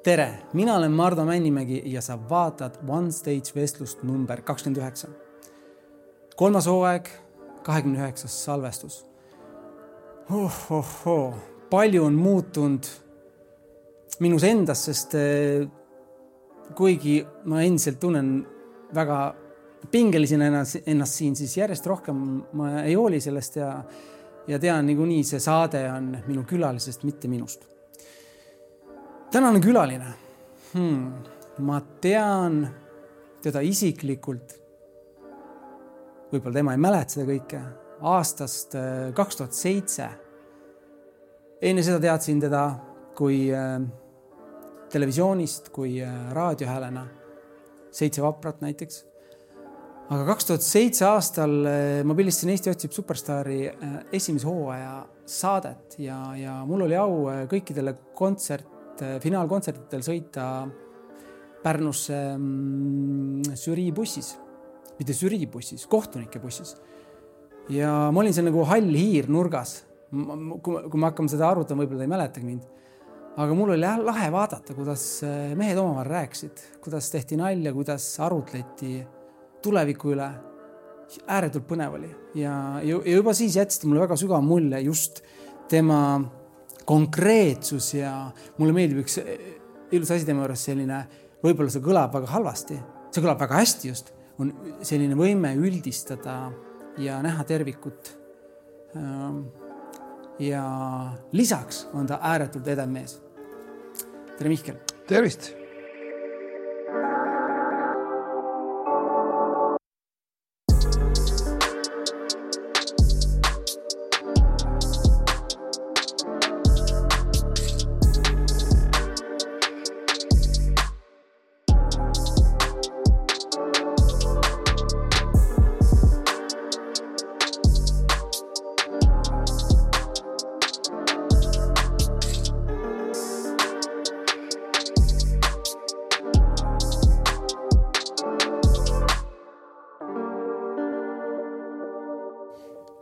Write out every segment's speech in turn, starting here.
Tere, mina olen Mardo Männimägi ja sa vaatad One Stage vestlust number 29. 3. hooaeg, 29. salvestus. Palju on muutunud minus endas, sest kuigi ma endiselt tunnen väga pingelisena ennast siin, siis järjest rohkem ma ei hooli sellest ja tean niikuinii see saade on minu külalisest, mitte minust. Tänane külaline. Ma tean teda isiklikult, võib-olla tema ei mäleta seda kõike, aastast 2007. Enne seda teadsin teda kui televisioonist, kui raadiohäälena, 7 vaprat näiteks. Aga 2007 aastal ma pildistasin Eesti otsib superstaari esimese hooaja saadet ja mul oli au kõikidele finaalkontsertitel sõita Pärnusse žüriibussis, mitte žüriibussis, kohtunike bussis. Ja ma olin seal nagu hall hiir nurgas. Kui ma hakkame seda arvutama, võib-olla ei mäletagi mind. Aga mul oli lahe vaadata, kuidas mehed omavahel rääksid, kuidas tehti nalja, kuidas arutleti tuleviku üle. Ääretult põnev oli. Ja juba siis jätsti mulle väga sügav mulje just tema konkreetsus ja mulle meeldib üks ilus asi tema juures selline, võib-olla see kõlab väga halvasti, see kõlab väga hästi just, on selline võime üldistada ja näha tervikut. Ja lisaks on ta ääretult edev mees. Tere Mihkel! Tervist!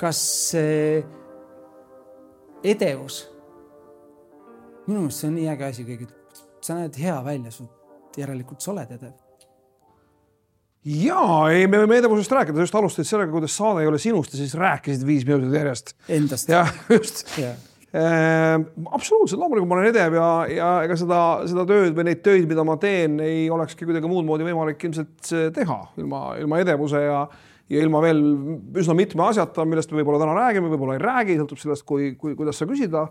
Kas see edevus, minu meelest see on nii äge asi kõik, sa näed hea välja, järelikult sa oled edev. Jaa, ei, me võime edevusest rääkida, sa just alustasid sellega, kuidas saade ei ole sinust ja siis rääkisid 5 minutit järjest. Endast. Ja, just. Absoluutselt, loomulikult ma olen edev ja ega seda tööd või neid töid, mida ma teen, ei olekski kuidagi muud moodi võimalik ilmselt teha ilma edevuse ja ilma veel üsna mitme asjata, millest me võib-olla täna räägime, võib-olla ei räägi, sõltub sellest, kuidas sa küsida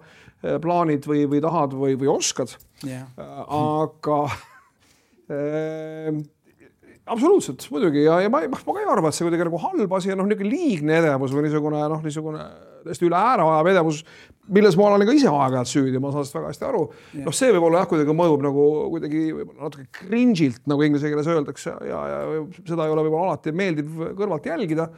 plaanid või tahad või oskad. Yeah. Aga absoluutselt, muidugi. Ja ma ka ei arva, et see kuidagi nagu halb asi ja niisugune liigne edevus või niisugune täiesti üle ääre ajav edevus, milles ma olen ka ise aeg-ajalt süüdi, ma saan sellest väga hästi aru. Yeah. See võib-olla kuidagi mõjub nagu kuidagi natuke cringe'ilt, nagu inglise keeles öeldakse ja seda ei ole võib-olla alati meeldiv kõrvalt jälgida.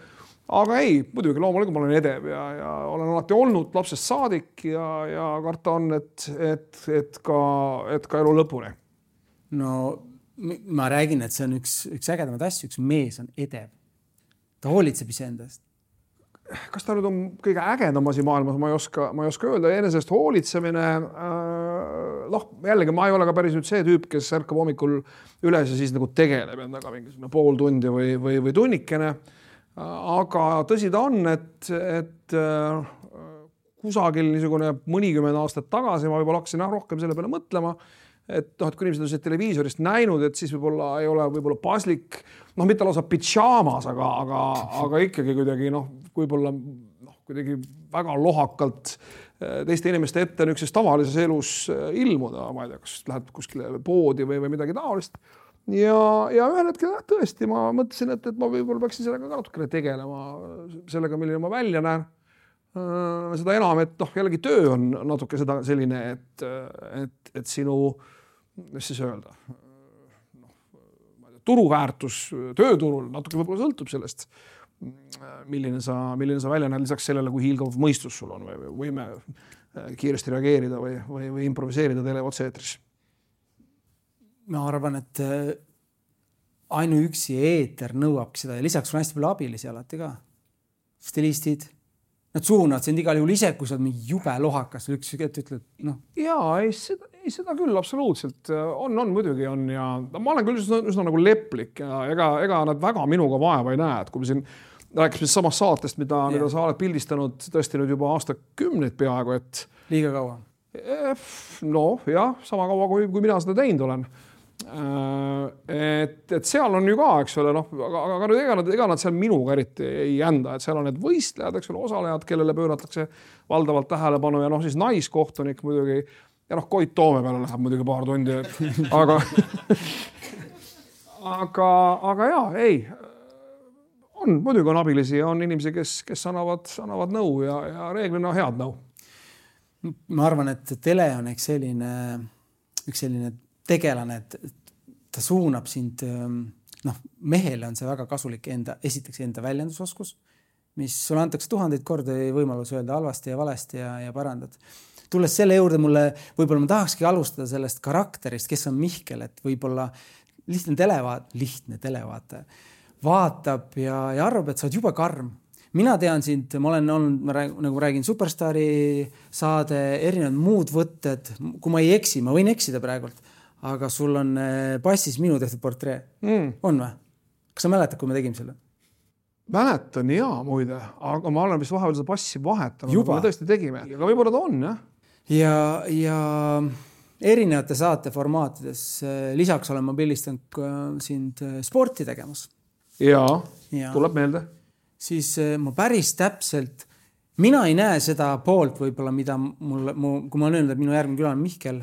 Aga ei, muidugi loomulikult ma olen edev ja olen alati olnud lapsest saadik ja karta on, et ka elu lõpuni. No ma räägin, et see on üks ägedamad asju, üks mees on edev. Ta hoolitseb iseendast. Kas ta nüüd on kõige ägedam asi maailmas, ma ei oska öelda. Enesest hoolitsemine, jällegi ma ei ole ka päris nüüd see tüüp, kes ärkab hommikul üles ja siis nagu tegeleb endaga mingisugune pool tundi või tunnikene. Aga tõsi ta on, et kusagil niisugune mõnikümmend aastat tagasi ma võib-olla hakkasin rohkem selle peale mõtlema, et kui inimesed on seda televiisorist näinud, et siis võib-olla ei ole võib-olla paslik, mitte lausa pidžaamas, aga ikkagi kuidagi võib-olla kuidagi väga lohakalt teiste inimeste ette niisuguses tavalises elus ilmuda, ma ei tea, kas lähed kuskile poodi või midagi taolist. Ja ühel hetkel tõesti ma mõtlesin, et ma võib-olla peaksin sellega ka natukene tegelema, sellega, milline ma välja näen. Seda enam, et jällegi töö on natuke seda selline, et sinu, mis siis öelda, turuväärtus tööturul natuke võib-olla sõltub sellest, milline sa välja näed lisaks sellele, kui hiilgav mõistus sul on või võime kiiresti reageerida või improviseerida teleotse-eetris. Ma arvan, et ainuüksi eeter nõuabki seda ja lisaks on hästi palju abilisi alati ka. Stilistid, nad suunavad sind igal juhul ise, kui sa oled mingi jube lohakas, üks ütled, noh. Jaa, seda küll absoluutselt on muidugi on ja ma olen küll üsna nagu leplik ja ega nad väga minuga vaeva ei näe, et kui me siin rääkisime samast saatest, mida sa oled pildistanud tõesti nüüd juba aastakümneid peaaegu, et liiga kaua. No jah, sama kaua kui mina seda teinud olen. Et seal on ju ka, eks ole, noh, aga ega nad seal minuga eriti ei ända, et seal on need võistlejad, eks ole, osalejad, kellele pööratakse valdavalt tähelepanu ja noh, siis naiskohtunik muidugi ja noh, Koit Toome peale läheb muidugi paar tundi, aga jaa, ei, muidugi on abilisi ja on inimesi, kes annavad nõu ja reeglina head nõu. Ma arvan, et tele on üks selline tegelane, et ta suunab sind, noh, mehele on see väga kasulik esiteks enda väljendusoskus, mis sulle antakse 1000 korda võimalus öelda halvasti ja valesti ja parandad. Tulles selle juurde võib-olla ma tahakski alustada sellest karakterist, kes on Mihkel, et võib-olla lihtne televaataja vaatab ja arvab, et sa oled jube karm. Mina tean sind, ma olen olnud, nagu räägin, Superstaari saade, erinevad muud võtted, kui ma ei eksi, ma võin eksida praegult, aga sul on passis minu tehtud portree. On või? Kas sa mäletad, kui me tegime selle? Mäletan, jaa, muide, aga ma olen vist vahepeal seda passi vahetanud, me tõesti tegime, aga võib-olla ta on, jah? Ja erinevate saate formaatides, lisaks olen ma pildistanud sind sporti tegemas. Jaa, tuleb meelde. Siis ma päris täpselt, mina ei näe seda poolt võib-olla, mida kui ma olen öelnud, et minu järgmine küla on Mihkel,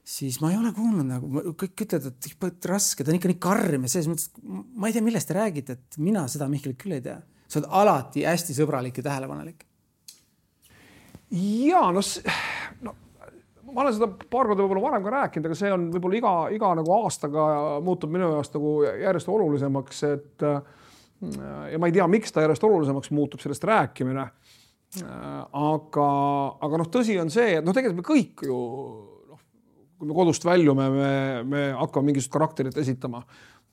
siis ma ei ole kuulnud nagu, kõik ütlevad, et raske, ta on ikka nii karm ja selles mõttes, ma ei tea, millest te räägite, et mina seda Mihkelit küll ei tea. Sa oled alati hästi sõbralik ja tähelepanelik. Jaa, no ma olen seda paar korda võib-olla varem ka rääkinud, aga see on võib-olla iga nagu aastaga muutub minu jaoks nagu järjest olulisemaks, et ja ma ei tea, miks ta järjest olulisemaks muutub sellest rääkimine. Aga noh, tõsi on see, et noh, tegelikult me kõik ju, kui me kodust väljume, me hakkame mingisugust karakterit esitama.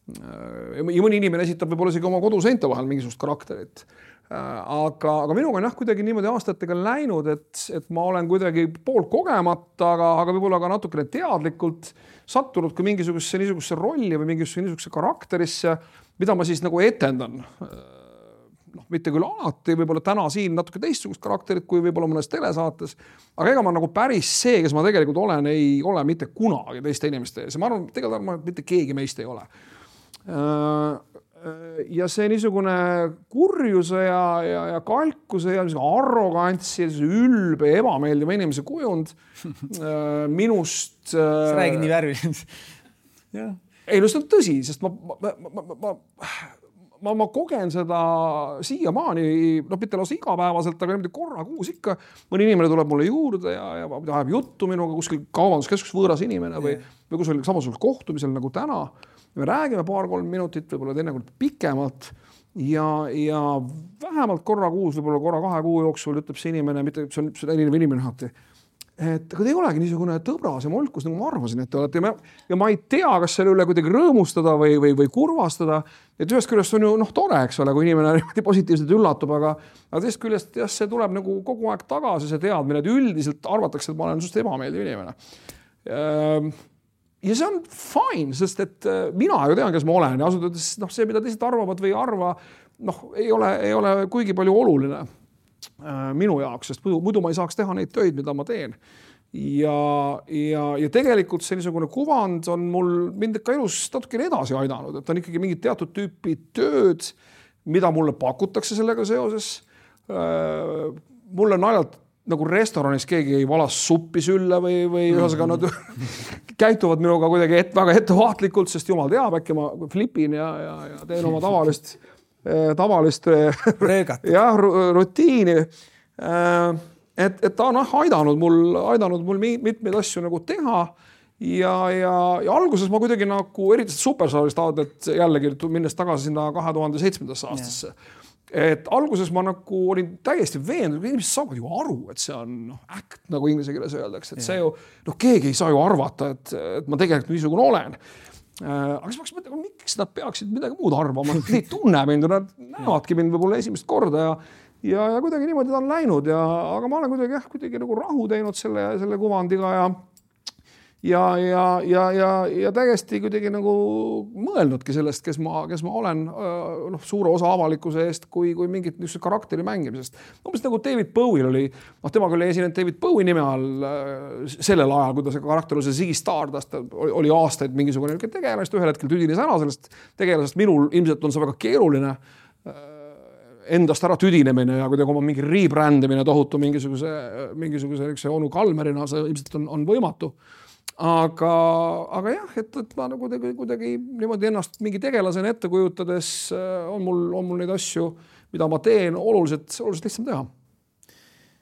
Ja mõni inimene esitab võib-olla isegi oma koduseinte vahel mingisugust karakterit. Aga minuga on kuidagi niimoodi aastatega läinud, et ma olen kuidagi pool kogemata, aga võib-olla ka natukene teadlikult sattunud kui niisugusesse rolli või niisugusesse karakterisse, mida ma siis nagu etendan. Noh, mitte küll alati, võib-olla täna siin natuke teistsugust karakterit kui võib-olla mõnes telesaates, aga ega ma nagu päris see, kes ma tegelikult olen, ei ole mitte kunagi teiste inimeste ees. Ja ma arvan, et mitte keegi meist ei ole. Ja see niisugune kurjuse ja kalkuse ja arrogantsi, ülbe, ebameeldiva inimese kujund minust... Sa räägid nii värvilised. Ei, no see on tõsi, sest ma kogen seda siiamaani, noh, mitte lausa igapäevaselt, aga niimoodi korra kuus ikka. Mõni inimene tuleb mulle juurde ja ajab juttu minuga kuskil kaubanduskeskus võõras inimene või kusagil samasugusel kohtumisel nagu täna. Me räägime 2-3 minutit, võib-olla teinekord pikemalt ja vähemalt korra kuus, võib-olla korra 2 kuu jooksul ütleb see inimene, mitte see on erinev inimene alati, et aga te ei olegi niisugune tõbras ja molkus, nagu ma arvasin, et te olete. Ja ma ei tea, kas selle üle kuidagi rõõmustada või kurvastada. Et ühest küljest on ju tore, eks ole, kui inimene positiivselt üllatub, aga teist küljest see tuleb nagu kogu aeg tagasi see teadmine, et üldiselt arvatakse, et ma olen just ebameeldiv inimene. Ja see on fine, sest et mina ju tean, kes ma olen ja asutades see, mida teised arvavad või arva, ei ole kuigi palju oluline minu jaoks, sest muidu ma ei saaks teha neid töid, mida ma teen. Ja tegelikult see niisugune kuvand on mul mind ka elus natukene edasi aidanud, et on ikkagi mingid teatud tüüpi tööd, mida mulle pakutakse sellega seoses. Mulle naljalt nagu restoranis keegi ei valas suppi sülle või ühesõnaga nad käituvad minuga kuidagi väga ettevaatlikult, sest jumal teab, äkki ma flipin ja teen oma tavalist rutiini. Et ta on aidanud mul mitmeid asju nagu teha ja alguses ma kuidagi nagu eriti Superstaarist et jällegi minnes tagasi sinna 2007. aastasse. Et alguses ma nagu olin täiesti veendunud, et inimesed saavad ju aru, et see on act, nagu inglise keeles öeldakse, et see ju, keegi ei saa ju arvata, et ma tegelikult niisugune olen. Aga siis ma miks nad peaksid midagi muud arvama, nad ei tunne mind, nad näevadki mind võib-olla esimest korda ja kuidagi niimoodi ta on läinud aga ma olen kuidagi nagu rahu teinud selle kuvandiga ja täiesti kuidagi nagu mõelnudki sellest, kes ma olen suure osa avalikkuse eest kui mingit niisugust karakteri mängimisest. Umbes nagu David Bowie'l oli, temaga oli esinenud David Bowie nime all sellel ajal, kui ta see karakter oli see Ziggy Stardust, oli aastaid mingisugune tegelast, ühel hetkel tüdines ära sellest tegelasest, minul ilmselt on see väga keeruline endast ära tüdinemine ja kuidagi oma mingi rebrandimine tohutu mingisuguse onu Kalmerina, see ilmselt on võimatu. Aga jah, et ma nagu kuidagi niimoodi ennast mingi tegelasena ette kujutades on mul neid asju, mida ma teen oluliselt lihtsam teha.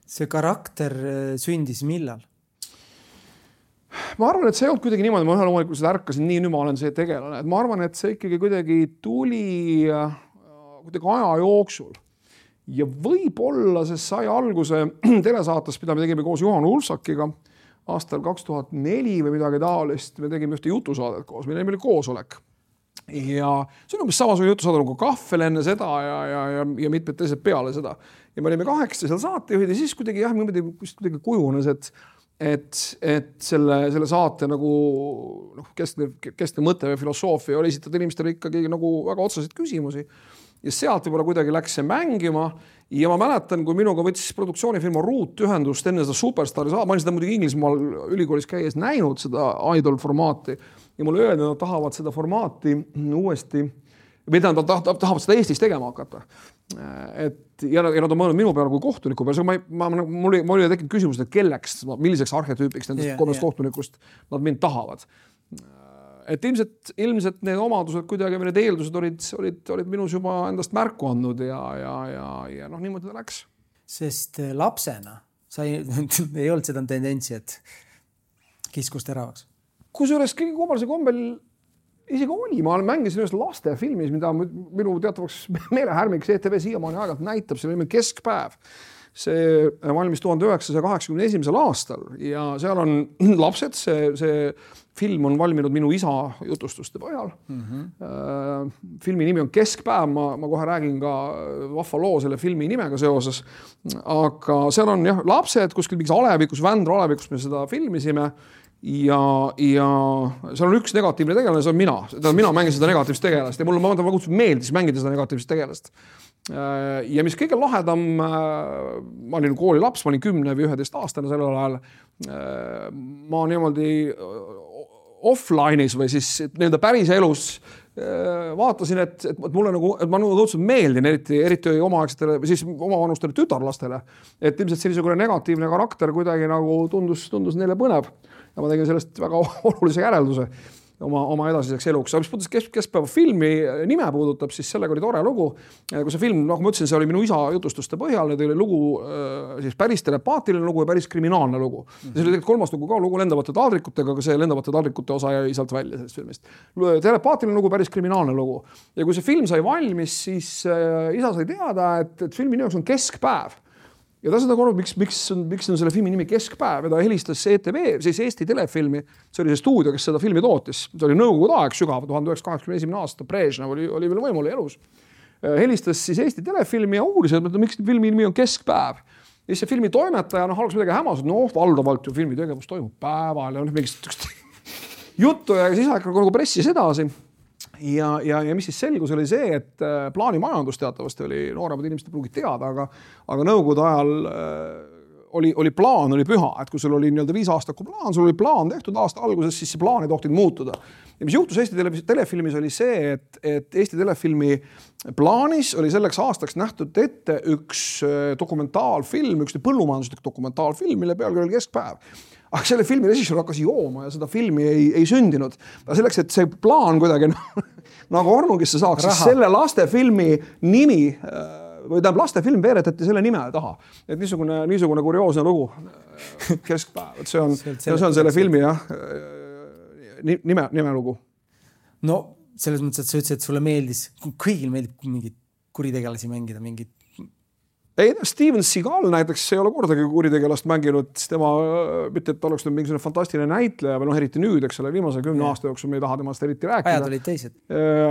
See karakter sündis millal? Ma arvan, et see ei olnud kuidagi niimoodi, ma loomulikult seda ärkasin, nii nüüd ma olen see tegelane, et ma arvan, et see ikkagi kuidagi tuli kuidagi aja jooksul ja võib-olla see sai alguse telesaates, mida me tegime koos Juhan Ulfsakiga aastal 2004 või midagi taolist, me tegime ühte jutusaadet koos, meil oli koosolek ja see on umbes samasugune jutusaade nagu Kahvel enne seda ja mitmed teised peale seda ja me olime 8 seal saatejuhid ja siis kuidagi kujunes, et selle saate nagu keskne mõte või filosoofia oli esitada inimestele ikkagi nagu väga otseseid küsimusi ja sealt võib-olla kuidagi läks see mängima ja ma mäletan, kui minuga võttis produktsioonifirma Root ühendust enne seda Superstari saada, ma olin seda muidugi Inglismaal ülikoolis käies näinud seda Idol formaati ja mulle öeldi, nad tahavad seda formaati uuesti või nad tahavad seda Eestis tegema hakata. Ja nad on mõelnud minu peale kui kohtuniku peale, mul oli tekkinud küsimus, et kelleks, milliseks arhetüüpiks nendest 3 kohtunikust nad mind tahavad. Et ilmselt need omadused kuidagi või need eeldused olid minus juba endast märku andnud ja niimoodi ta läks. Sest lapsena ei olnud seda tendentsi, et kiskus teravaks. Kusjuures kõige kummalise kombel isegi oli, ma mängisin ühes lastefilmis, mida minu teatavaks meelehärmiks ETV siiamaani aegalt näitab, see oli Keskpäev. See valmis 1981. aastal ja seal on lapsed, see film on valminud minu isa jutustuste põhjal. Filmi nimi on Keskpäev, ma kohe räägin ka vahva loo selle filmi nimega seoses, aga seal on lapsed kuskil mingis alevikus, Vändra alevikus me seda filmisime ja seal on üks negatiivne tegelane, see on mina. Mina mängin seda negatiivset tegelast ja mulle väga meeldis mängida seda negatiivset tegelast. Ja mis kõige lahedam, ma olin kooli laps, ma olin 10 või 11 aastane sellel ajal, ma niimoodi offline'is või siis nende päris elus vaatasin, et mulle nagu, et ma õudselt meeldin, eriti omaaegsetele või siis omavanustele tütarlastele, et ilmselt sellisugune negatiivne karakter kuidagi nagu tundus neile põnev ja ma tegin sellest väga olulise järelduse oma edasiseks eluks. Mis puudutas Keskpäeva filmi nime puudutab, siis sellega oli tore lugu. Kui see film, nagu ma ütlesin, see oli minu isa jutustuste põhjal, need oli lugu, siis päris telepaatiline lugu ja päris kriminaalne lugu. Ja see oli tegelikult 3. lugu ka, lugu lendavate taldrikutega, aga see lendavate taldrikute osa jäi sealt välja sellest filmist. Telepaatiline lugu, päris kriminaalne lugu. Ja kui see film sai valmis, siis isa sai teada, et filmi nimeks on Keskpäev. Ja ta seda korranud, miks on selle filmi nimi Keskpäev ja ta helistas ETV, siis Eesti telefilmi, see oli see stuudio, kes seda filmi tootis, see oli nõukogude aeg sügav, 1981. aasta, Brežnev oli veel võimul elus. Helistas siis Eesti telefilmi ja uuris, et miks filmi nimi on Keskpäev. Ja see filmi toimetaja alguses midagi hämas, valdavalt ju filmi tegevus toimub päeval ja mingist juttu ja siis aeg nagu pressis edasi. Ja mis siis selgus oli see, et plaanimajandus teatavasti oli, nooremad inimesed pruugid teada, aga nõukogude ajal oli plaan, oli püha, et kui sul oli 5 aastaku plaan, sul oli plaan tehtud aasta alguses, siis see plaan ei tohtinud muutuda. Ja mis juhtus Eesti telefilmis oli see, et Eesti telefilmi plaanis oli selleks aastaks nähtud ette üks dokumentaalfilm, üks põllumajanduslik dokumentaalfilm, mille pealkiri oli Keskpäev. Aga selle filmi režissöör hakkas jooma ja seda filmi ei sündinud. Selleks, et see plaan kuidagi nagu Ornugisse saaks, siis selle lastefilmi nimi või lastefilm veeretati selle nime taha. Et niisugune kurioosne lugu Keskpäev. See on selle filmi nime lugu. No selles mõttes, et sa ütlesid, et sulle meeldis, kõigil meeldib mingid kuritegelasi mängida, mingid Ei, Steven Seagal näiteks ei ole kordagi kuritegelast mänginud, tema, mitte et oleks nüüd mingisugune fantastiline näitleja või eriti nüüd, eks ole, viimase 10 aasta jooksul me ei taha temast eriti rääkida. Ajad olid teised.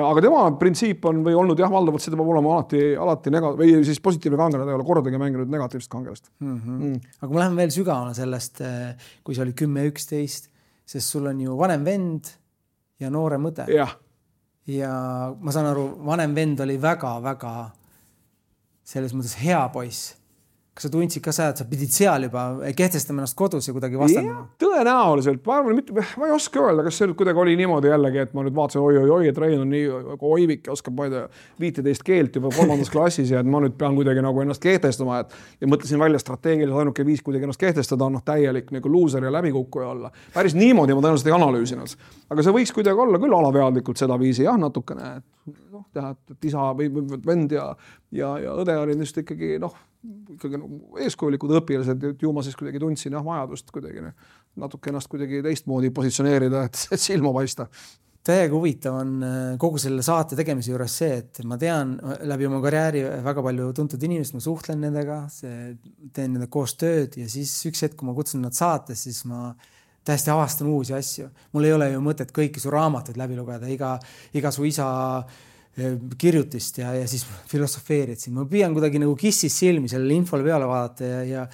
Aga tema printsiip on või olnud valdavalt see peab olema alati või siis positiivne kangelane, ta ei ole kordagi mänginud negatiivset kangelast. Aga ma lähen veel sügavana sellest, kui see oli 10-11, sest sul on ju vanem vend ja noorem õde. Ja ma saan aru, vanem vend oli väga-väga selles mõttes hea poiss. Kas sa tundsid ka seda, et sa pidid seal juba kehtestama ennast kodus ja kuidagi vastandama? Tõenäoliselt. Ma ei oska öelda, kas see nüüd kuidagi oli niimoodi jällegi, et ma nüüd vaatasin, et Rein on nii oivik ja oskab 15 keelt juba 3. klassis ja et ma nüüd pean kuidagi nagu ennast kehtestama. Ja mõtlesin välja strateegiliselt ainuke viis kuidagi ennast kehtestada on loser ja läbikukkuja olla. Päris niimoodi ma tõenäoliselt ei analüüsinud. Aga see võiks kuidagi olla küll alateadlikult seda viisi, natukene. Teha, et isa või vend ja õde olid just ikkagi eeskujulikud õpilased, et ju ma siis kuidagi tundsin vajadust kuidagi natuke ennast kuidagi teistmoodi positsioneerida, et silma paista. Täiega huvitav on kogu selle saate tegemise juures see, et ma tean läbi oma karjääri väga palju tuntud inimest, ma suhtlen nendega, teen nende koos tööd ja siis üks hetk, kui ma kutsun nad saates, siis ma täiesti avastan uusi asju. Mul ei ole ju mõtet kõiki su raamatuid läbi lugeda, iga su isa kirjutist ja siis filosofeerid siin. Ma püüan kuidagi nagu kissis silmi sellele infole peale vaadata ja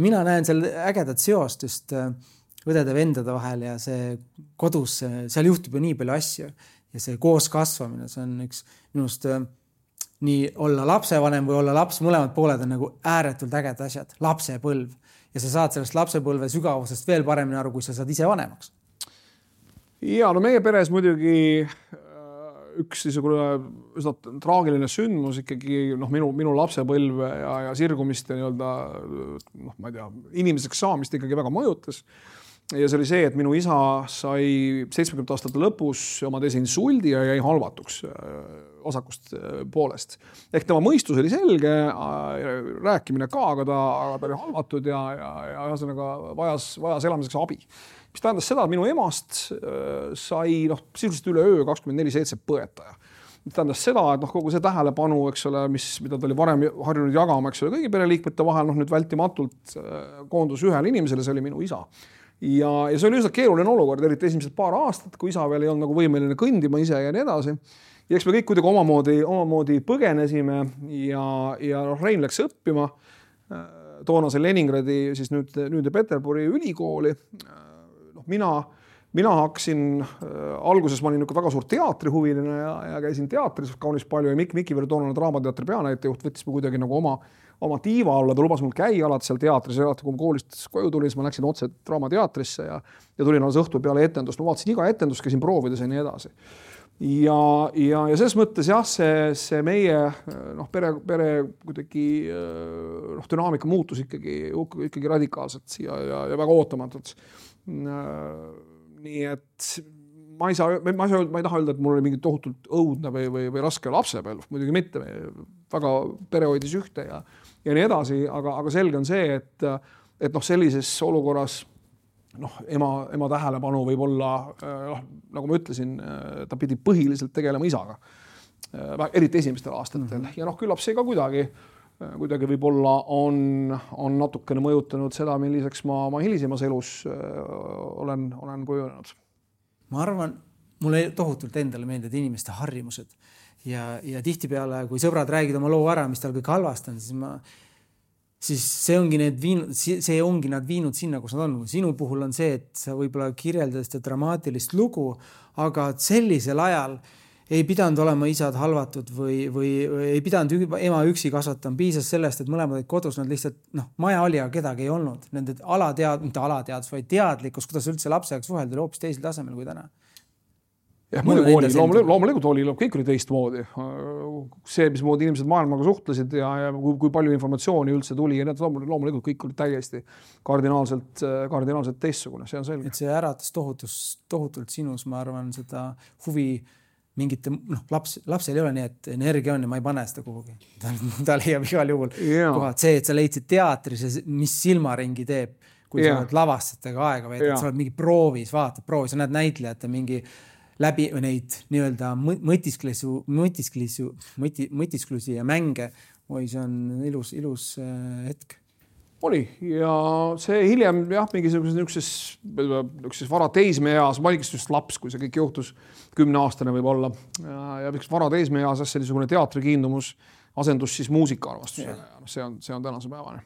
mina näen seal ägedat seost just õdede vendade vahel ja see kodus, seal juhtub ju nii palju asju ja see koos kasvamine, see on üks minust nii olla lapsevanem või olla laps, mõlemad pooled on nagu ääretult ägedad asjad, lapsepõlv ja sa saad sellest lapsepõlve sügavusest veel paremini aru, kui sa saad ise vanemaks. Ja, no meie peres muidugi üks üsna traagiline sündmus ikkagi minu lapsepõlv ja sirgumist ja ma ei tea, inimeseks saamist ikkagi väga mõjutas. Ja see oli see, et minu isa sai 70 aastate lõpus oma teise insuldi ja jäi halvatuks osakust poolest. Ehk tema mõistus oli selge, rääkimine ka, aga ta oli halvatud ja vajas elamiseks abi. Mis tähendas seda, et minu emast sai sisuliselt üle öö 24/7 põetaja. Mis tähendas seda, et kogu see tähelepanu, eks ole, mida ta oli varem harjunud jagama, eks ole, kõigi pereliikmete vahel, nüüd vältimatult koondus ühele inimesele, see oli minu isa. Ja see oli üsna keeruline olukord, eriti esimesed paar aastat, kui isa veel ei olnud võimeline kõndima ise ja nii edasi. Ja eks me kõik kuidagi omamoodi põgenesime ja Rein läks õppima toonase Leningradi, siis nüüd Peterburi ülikooli. Mina hakkasin, alguses ma olin väga suur teatrihuviline ja käisin teatris kaunis palju ja Miki Verdoonane Draamateatri peanäitejuht võttis ma kuidagi nagu oma tiiva alla, ta lubas mul käia alati seal teatris ja alati, kui ma koolist koju tulin, siis ma läksin otse Draamateatrisse ja tulin alles õhtu peale etendust. Ma vaatasin iga etendust, käisin proovides ja nii edasi. Ja selles mõttes see meie pere kuidagi dünaamika muutus ikkagi radikaalselt ja väga ootamatult. Nii et ma ei taha öelda, et mul oli mingi tohutult õudne või raske lapsepõlv, muidugi mitte, väga pere hoidis ühte ja nii edasi, aga selge on see, et sellises olukorras ema tähelepanu võib olla, nagu ma ütlesin, ta pidi põhiliselt tegelema isaga, eriti esimestel aastatel. Ja küllap see ka kuidagi võib-olla on natukene mõjutanud seda, milliseks ma hilisemas elus olen kujunenud. Ma arvan, mulle tohutult endale meeldivad inimeste harjumused ja tihtipeale, kui sõbrad räägid oma loo ära, mis tal kõik halvast on, siis see ongi nad viinud sinna, kus nad on. Sinu puhul on see, et sa võib-olla kirjeldad seda dramaatilist lugu, aga sellisel ajal ei pidanud olema isad halvatud või ei pidanud ema üksi kasvatama. Piisas sellest, et mõlemad olid kodus, nad lihtsalt, maja oli, aga kedagi ei olnud. Nende mitte alateadus, vaid teadlikkus, kuidas üldse lapsega suhelda oli hoopis teisel tasemel kui täna. Jah, muidugi oli, loomulikult oli, kõik oli teistmoodi. See, mismoodi inimesed maailmaga suhtlesid ja kui palju informatsiooni üldse tuli ja loomulikult kõik oli täiesti kardinaalselt teistsugune, see on selge. Et see äratas tohutult sinus, ma arvan, seda huvi mingite, lapsel ei ole nii, et energia on ja ma ei pane seda kuhugi. Ta leiab igal juhul kohad. See, et sa leidsid teatris, mis silmaringi teeb, kui sa oled lavastajatega aega veetad, sa oled mingi proovis, sa näed näitlejate mingi läbi neid nii-öelda mõtisklusi ja mänge oi, see on ilus hetk. Oli ja see hiljem jah, niisuguses vara teismeeas, ma olin just laps, kui see kõik juhtus, 10-aastane võib olla ja vara teismeeas see niisugune teatrikiindumus asendus siis muusikaarmastusega ja see on tänase päevane.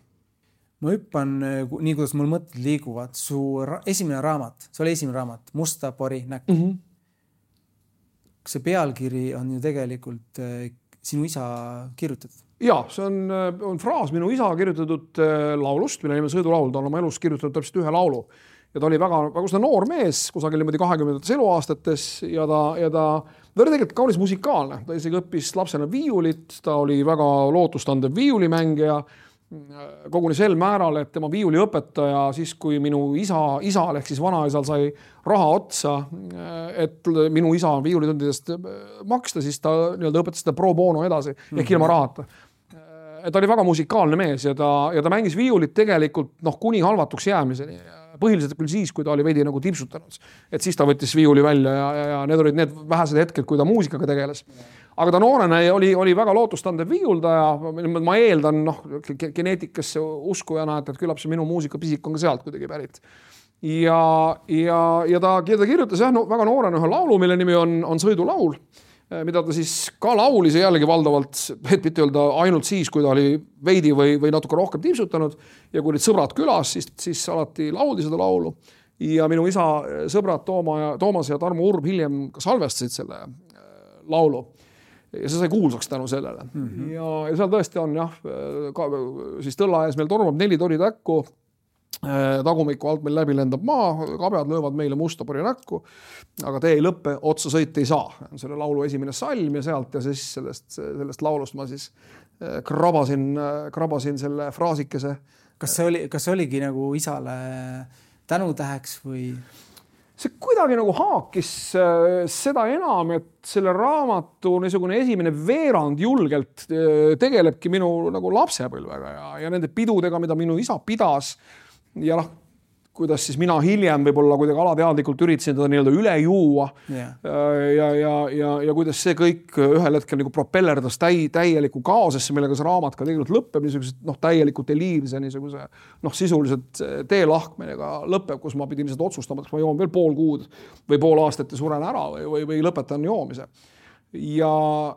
Ma hüppan nii, kuidas mul mõtted liiguvad. Su esimene raamat, see oli esimene raamat, Musta pori näkk. See pealkiri on ju tegelikult sinu isa kirjutatud. Ja, see on fraas minu isa kirjutatud laulust, mille nimi Sõidulaul. Ta on oma elus kirjutatud täpselt ühe laulu. Ja ta oli väga noor mees, kusagil niimoodi 20. eluaastates ja ta oli tegelikult kaunis musikaalne. Ta isegi õppis lapsena viiulit, ta oli väga lootustandev viiulimängija, koguni sel määral, et tema viiuliõpetaja siis, kui minu isal ehk siis vanaisal sai raha otsa, et minu isa viiulitundidest maksta, siis ta õpetas seda pro bono edasi, ehk ilma rahata. Ta oli väga musikaalne mees ja ta mängis viiulit tegelikult kuni halvatuks jäämiseni. Põhiliselt küll siis, kui ta oli veidi nagu tipsutanud. Et siis ta võttis viiuli välja ja need olid need vähesed hetked, kui ta muusikaga tegeles. Aga ta noorena oli väga lootustandev viiuldaja. Ma eeldan geneetikasse uskujana, et küllap see minu muusikapisik on ka sealt kuidagi pärit. Ja ta kirjutas väga noorena ühe laulu, mille nimi on Sõidulaul, mida ta siis ka laulis jällegi valdavalt, et mitte öelda ainult siis, kui ta oli veidi või natuke rohkem tipsutanud ja kui olid sõbrad külas, siis alati lauldi seda laulu. Ja minu isa sõbrad Toomas ja Tarmo Urb hiljem ka salvestasid selle laulu. Ja see sai kuulsaks tänu sellele. Ja seal tõesti on siis tõlla ees meil tormab 4 tori täkku, tagumiku alt meil läbi lendab maa, kabjad löövad meile musta pori näkku, aga tee ei lõppe, otsa sõit ei saa. Selle laulu esimene salm ja sealt ja siis sellest laulust ma siis krabasin selle fraasikese. Kas see oligi nagu isale tänutäheks või? See kuidagi nagu haakis seda enam, et selle raamatu niisugune esimene veerand julgelt tegelebki minu nagu lapsepõlvega ja nende pidudega, mida minu isa pidas ja kuidas siis mina hiljem võib-olla kuidagi alateadlikult üritasin teda nii-öelda üle juua ja kuidas see kõik ühel hetkel nagu propellerdas täieliku kaosesse, millega see raamat ka tegelikult lõpeb niisugused täielikult eliirse niisuguse sisuliselt teelahkmega lõpeb, kus ma pidin seda otsustama, kas ma joon veel pool kuud või pool aastat ja suren ära või lõpetan joomise. Ja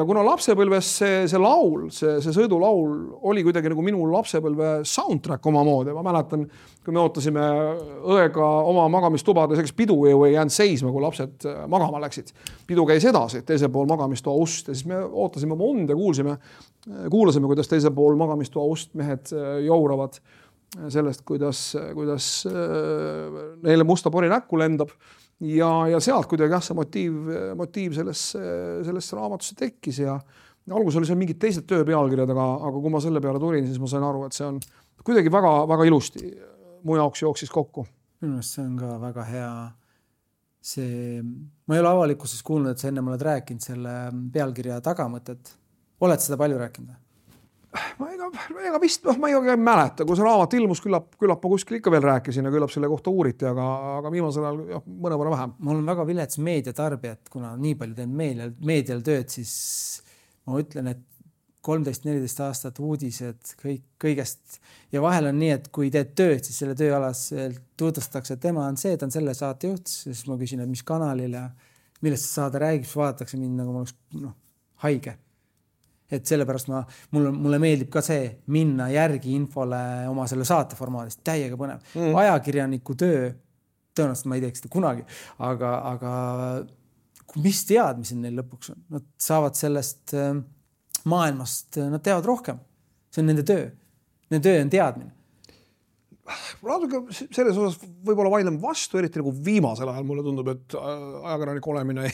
kuna lapsepõlves see laul, see sõidulaul oli kuidagi nagu minu lapsepõlve soundtrack omamoodi. Ma mäletan, kui me ootasime õega oma magamistubades, eks pidu ei jäänud seisma, kui lapsed magama läksid. Pidu käis edasi teisel pool magamistoa ust ja siis me ootasime oma und ja kuulasime, kuidas teisel pool magamistoa ust mehed jouravad sellest, kuidas neile musta pori näkku lendab. Ja sealt kuidagi see motiiv sellest raamatusse tekkis ja algus oli seal mingid teised töö pealkirjad, aga kui ma selle peale tulin, siis ma sain aru, et see on kuidagi väga, väga ilusti mu jaoks jooksis kokku. Minu meelest see on ka väga hea. Ma ei ole avalikkuses kuulnud, et sa enne oled rääkinud selle pealkirja tagamõtet. Oled seda palju rääkinud? Ega vist, ma ei mäleta, kui see raamat ilmus, küllap ma kuskil ikka veel rääkisin ja küllap selle kohta uuriti, aga viimasel ajal mõnevõrra vähem. Mul on väga vilets meediatarbija, et kuna nii palju teen meedial tööd, siis ma ütlen, et 13-14 aastat uudised kõigest ja vahel on nii, et kui teed tööd, siis selle tööalas tutvustatakse, et tema on ta on selle saate juht, siis ma küsin, et mis kanalil ja millest see saade räägib, siis vaadatakse mind nagu ma oleks haige. Et sellepärast mulle meeldib ka see minna järgi infole oma selle saate formaadist, täiega põnev. Ajakirjaniku töö, tõenäoliselt ma ei teeks seda kunagi, aga mis teadmised neil lõpuks on? Nad saavad sellest maailmast, nad teavad rohkem. See on nende töö. Nende töö on teadmine. Selles osas võib-olla vaidlema vastu, eriti nagu viimasel ajal mulle tundub, et ajakirjanik olemine ei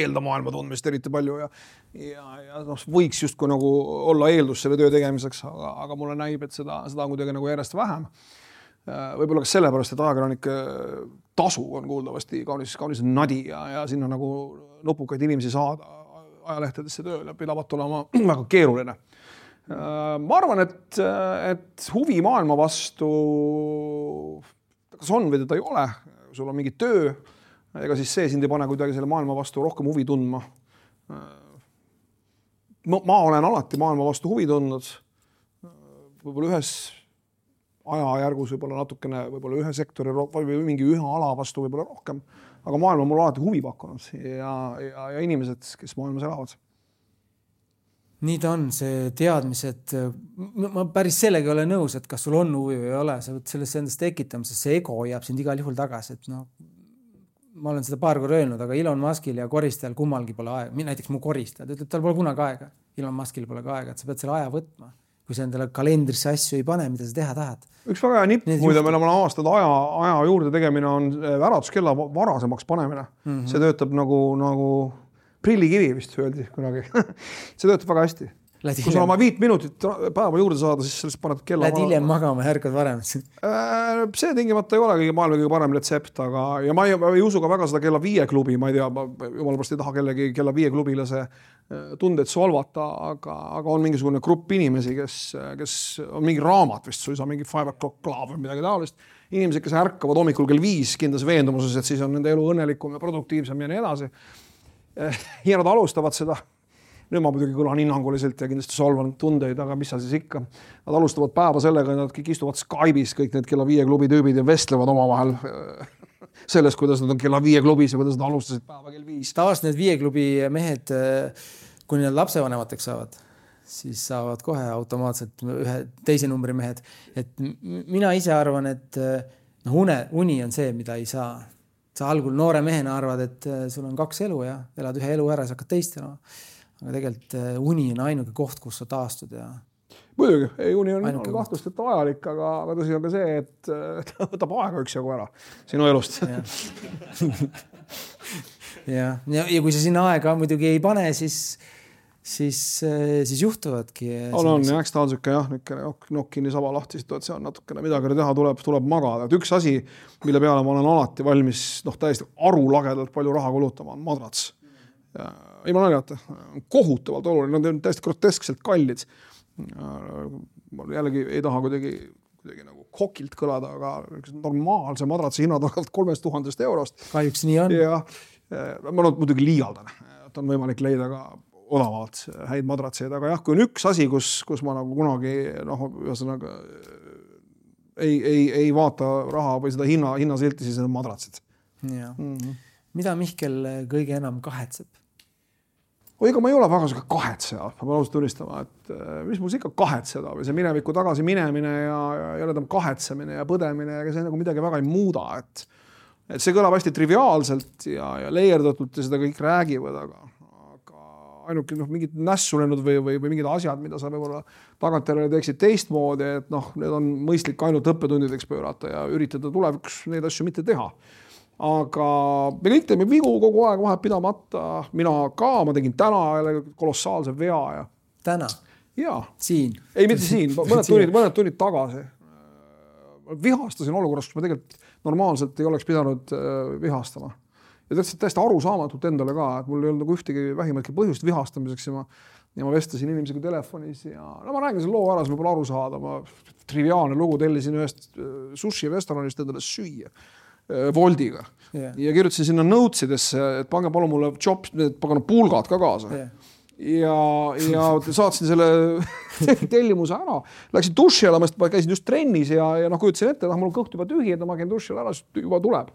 eelda maailma tundmist eriti palju ja võiks justkui nagu olla eeldus selle töö tegemiseks, aga mulle näib, et seda on kuidagi nagu järjest vähem. Võib-olla ka sellepärast, et ajakirjanike tasu on kuuldavasti kaunis nadi ja sinna nagu nupukaid inimesi saada ajalehtedesse tööle pidavat olema väga keeruline. Ma arvan, et huvi maailma vastu kas on või teda ei ole, sul on mingi töö, ega siis see sind ei pane kuidagi selle maailma vastu rohkem huvi tundma. ma olen alati maailma vastu huvi tundnud. Võib-olla ühes ajajärgus võib-olla natukene, võib-olla ühe sektori või mingi ühe ala vastu võib-olla rohkem, aga maailma mul alati huvi pakkunud ja inimesed, kes maailmas elavad. Nii ta on, see teadmised, ma päris sellega ei ole nõus, et kas sul on huvi või ei ole, sa võid sellest endast tekitamises, see ego jääb sind igal juhul tagasi, et no, ma olen seda paar korda öelnud, aga Elon Muskil ja koristajal kummalgi pole aega, näiteks mu koristajad ütleb, tal pole kunagi aega, Elon Muskil pole ka aega, et sa pead selle aja võtma, kui sa endale kalendrisse asju ei pane, mida sa teha tahad. Üks väga hea nipp, muide meil on aastad aja juurde tegemine on äratuskella varasemaks panemine. See töötab nagu prillikivi vist öeldi kunagi. See töötab väga hästi. Kui sa oma 5 minutit päeva juurde saada, siis sellest paned kella... Lähed hiljem magama ja härkad varem. See tingimata ei ole maailma kõige parem retsept, aga ja ma ei usu ka väga seda kella 5 klubi, ma ei tea, jumala pärast ei taha kellegi kella 5 klubilase tundeid solvata, aga on mingisugune grupp inimesi, kes on mingi raamat vist suisa, mingi 5 o'clock club või midagi taolist. Inimesed, kes ärkavad hommikul kell 5 kindlas veendumuses, et siis on nende elu õnnelikum ja produktiivsem ja nii edasi. Ja nad alustavad seda. Nüüd ma muidugi kõlan hinnanguliselt ja kindlasti solvan tundeid, aga mis sa siis ikka. Nad alustavad päeva sellega, et nad kõik istuvad Skype'is, kõik need kella 5 klubi tüübid ja vestlevad omavahel sellest, kuidas nad on kella 5 klubis ja kuidas nad alustasid päeva kell 5. Tavaliselt need 5 klubi mehed, kui need lapsevanemateks saavad, siis saavad kohe automaatselt ühe teise numbri mehed. Et mina ise arvan, et uni on see, mida ei saa. Sa algul noore mehena arvad, et sul on 2 elu ja elad ühe elu ära, sa hakkad teist elama. Aga tegelikult uni on ainuke koht, kus sa taastud. Ja... Muidugi, uni on kahtust, et vajalik, aga tõsi on ka see, et ta võtab aega üksjagu ära sinu elust. ja kui sa sinna aega muidugi ei pane, siis juhtuvadki. On, eks ta on siuke nokkini saba lahti situatsioon natukene midagi teha, tuleb magada. Et üks asi, mille peale ma olen alati valmis täiesti arulagedalt palju raha kulutama, on madrats. Ei ma naljata, kohutavalt oluline, nad on täiesti groteskselt kallid. Ma jällegi ei taha kuidagi nagu kokilt kõlada, aga normaalse madratsi hinnad on 3000 eurost. Kahjuks nii on. Ja ma muidugi liialdan, et on võimalik leida ka odavalt häid madratseid, aga jah, kui on üks asi, kus ma nagu kunagi ühesõnaga ei vaata raha või seda hinnasilti, siis on madratsid. Ja. Mida Mihkel kõige enam kahetseb? Ega ma ei ole väga suke kahetseja, ma pean ausalt tunnistama, et mis mul ikka kahetseda või see minevikku tagasi minemine ja jälle kahetsemine ja põdemine ja see nagu midagi väga ei muuda, et see kõlab hästi triviaalselt ja leierdatult ja seda kõik räägivad, aga ainuke mingid nässulenud või mingid asjad, mida sa võib-olla tagantjärele teeksid teistmoodi, et need on mõistlik ainult õppetundideks pöörata ja üritada tulevikus neid asju mitte teha. Aga me kõik teeme vigu kogu aeg vahet pidamata. Mina ka, ma tegin täna kolossaalse vea. Ja... Täna? Jaa. Siin? Ei, mitte siin. Mõned tunnid tagasi. Vihastasin olukorras, kus ma tegelikult normaalselt ei oleks pidanud vihastama. Ja täiesti arusaamatult endale ka, et mul ei olnud nagu ühtegi vähimatki põhjust vihastamiseks ja ma vestasin inimesega telefonis ja ma räägin selle loo ära, siis võib-olla aru saada. Ma triviaalne lugu tellisin ühest sushi restoranist endale süüa. Voldiga. Yeah. Ja kirjutasin sinna notesidesse, et pange palun mulle pulgad ka kaasa. Yeah. Ja saatsin selle tellimuse ära. Läksin duši alla, ma käisin just trennis ja kujutasin ette, mul on kõht juba tühi, et ma käin duši alla, siis juba tuleb.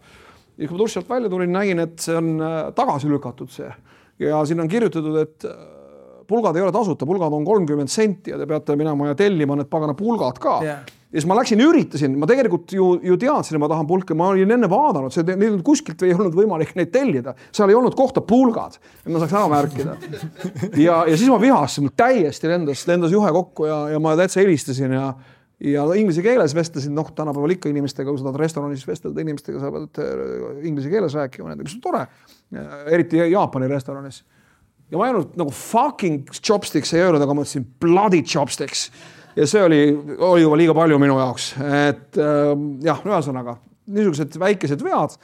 Ja kui ma duši alt välja tulin, nägin, et see on tagasi lükatud see. Ja siin on kirjutatud, et pulgad ei ole tasuta, pulgad on 30 senti ja te peate minema ja tellima need pagana pulgad ka. Yeah. Ja siis ma läksin ja üritasin, ma tegelikult ju teadsin, et ma tahan pulke, ma olin enne vaadanud, neil kuskilt ei olnud võimalik neid tellida, seal ei olnud kohta pulgad, et ma saaks ära märkida. Ja siis ma vihastasin, täiesti lendas juhe kokku ja ma täitsa helistasin ja inglise keeles vestlesin, tänapäeval ikka inimestega, kui sa tahad restoranis vestelda inimestega, sa pead inglise keeles rääkima, nendega, see on tore, eriti Jaapani restoranis. Ja ma ei olnud nagu fucking chopsticks ei öelnud, aga ma mõtlesin bloody chopsticks. Ja see oli juba liiga palju minu jaoks, et ühesõnaga, niisugused väikesed vead,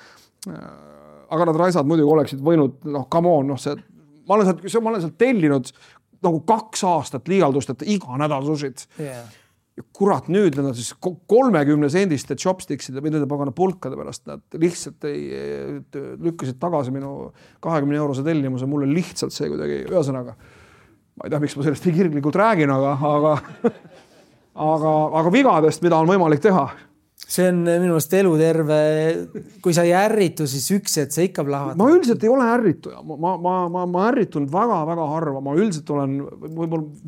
aga nad raisad muidugi oleksid võinud, come on, ma olen sealt tellinud nagu 2 aastat liialdust, et iga nädal sushit. Yeah. Ja kurat, nüüd nad siis 30 sendiste chopstickside või nende pagana pulkade pärast, nad lihtsalt lükkasid tagasi minu 20 eurose tellimuse, mulle lihtsalt see kuidagi ühesõnaga. ma ei tea, miks ma sellest nii kirglikult räägin, aga vigadest, mida on võimalik teha. See on minu meelest eluterve, kui sa ei ärritu, siis üks, et sa ikka plahvad. Ma üldiselt ei ole ärrituja. Ma ärritunud väga-väga harva. Ma üldiselt olen,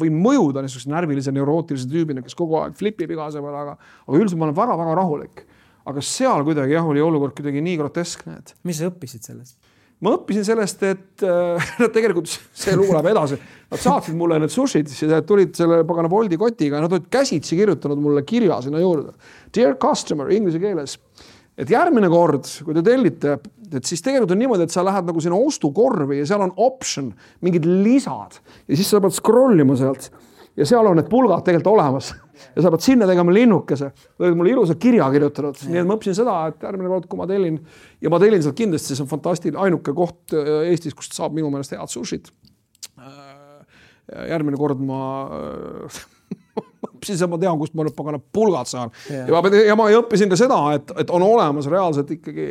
võin mõjuda niisuguse närvilise neurootilise tüübina, kes kogu aeg flipib igase peale, aga üldiselt ma olen väga-väga rahulik. Aga seal kuidagi oli olukord kuidagi nii groteskne. Mis sa õppisid sellest? Ma õppisin sellest, et tegelikult see lugu läheb edasi. Nad saatsid mulle need sushid, tulid selle pagana Bolti kotiga ja nad olid käsitsi kirjutanud mulle kirja sinna juurde. Dear customer, inglise keeles. Et järgmine kord, kui te tellite, et siis tegelikult on niimoodi, et sa lähed nagu sinna ostukorvi ja seal on option, mingid lisad ja siis sa pead scrollima sealt ja seal on need pulgad tegelikult olemas. Ja sa pead sinna tegema linnukese. Oled mulle ilusa kirja kirjutanud. Nii et ma õppisin seda, et järgmine kord, kui ma tellin, ja ma tellin sealt kindlasti, see on fantastiline ainuke koht Eestis, kust saab minu meelest head sushid. Järgmine kord ma õppisin, ma tean, kust ma pagana pulgad saan. Ja ma õppisin ka seda, et on olemas reaalselt ikkagi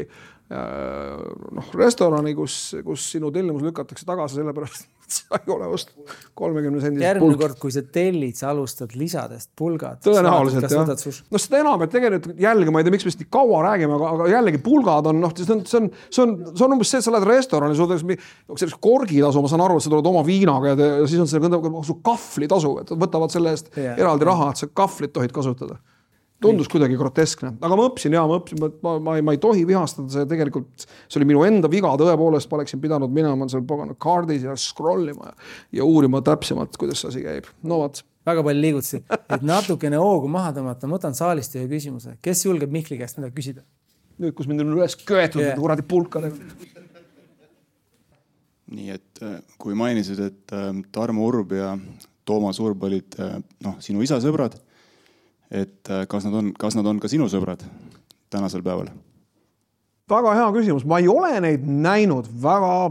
restorani, kus sinu tellimus lükatakse tagasi sellepärast, et sa ei ole ost 30 sendist järgmine kord, kui sa tellid, sa alustad lisadest pulgad. Tõenäoliselt, jah. No seda enam, et tegelikult jällegi, ma ei tea, miks me nii kaua räägime, aga jällegi pulgad on, see on umbes see, et sa lähed restorani, sul selleks korgitasu, ma saan aru, et sa tuled oma viinaga ja siis on see kahvlitasu, et võtavad selle eest eraldi raha, et sa kahvlit tohid kasutada. Tundus kuidagi groteskne, aga ma õppisin, ma ei tohi vihastada, see tegelikult, see oli minu enda viga, tõepoolest ma oleksin pidanud minema seal pagana kaardis ja scrollima ja uurima täpsemalt, kuidas see asi käib. No vaat. Väga palju liigutasid, et natukene hoogu maha tõmmata, ma võtan saalist ühe küsimuse. Kes julgeb Mihkli käest midagi küsida? Nüüd, kus mind on üles köetud, kuradi pulkale. Nii, et kui mainisid, et Tarmo Urb ja Toomas Urb olid sinu isa sõbrad, et kas nad on ka sinu sõbrad tänasel päeval? Väga hea küsimus. Ma ei ole neid näinud väga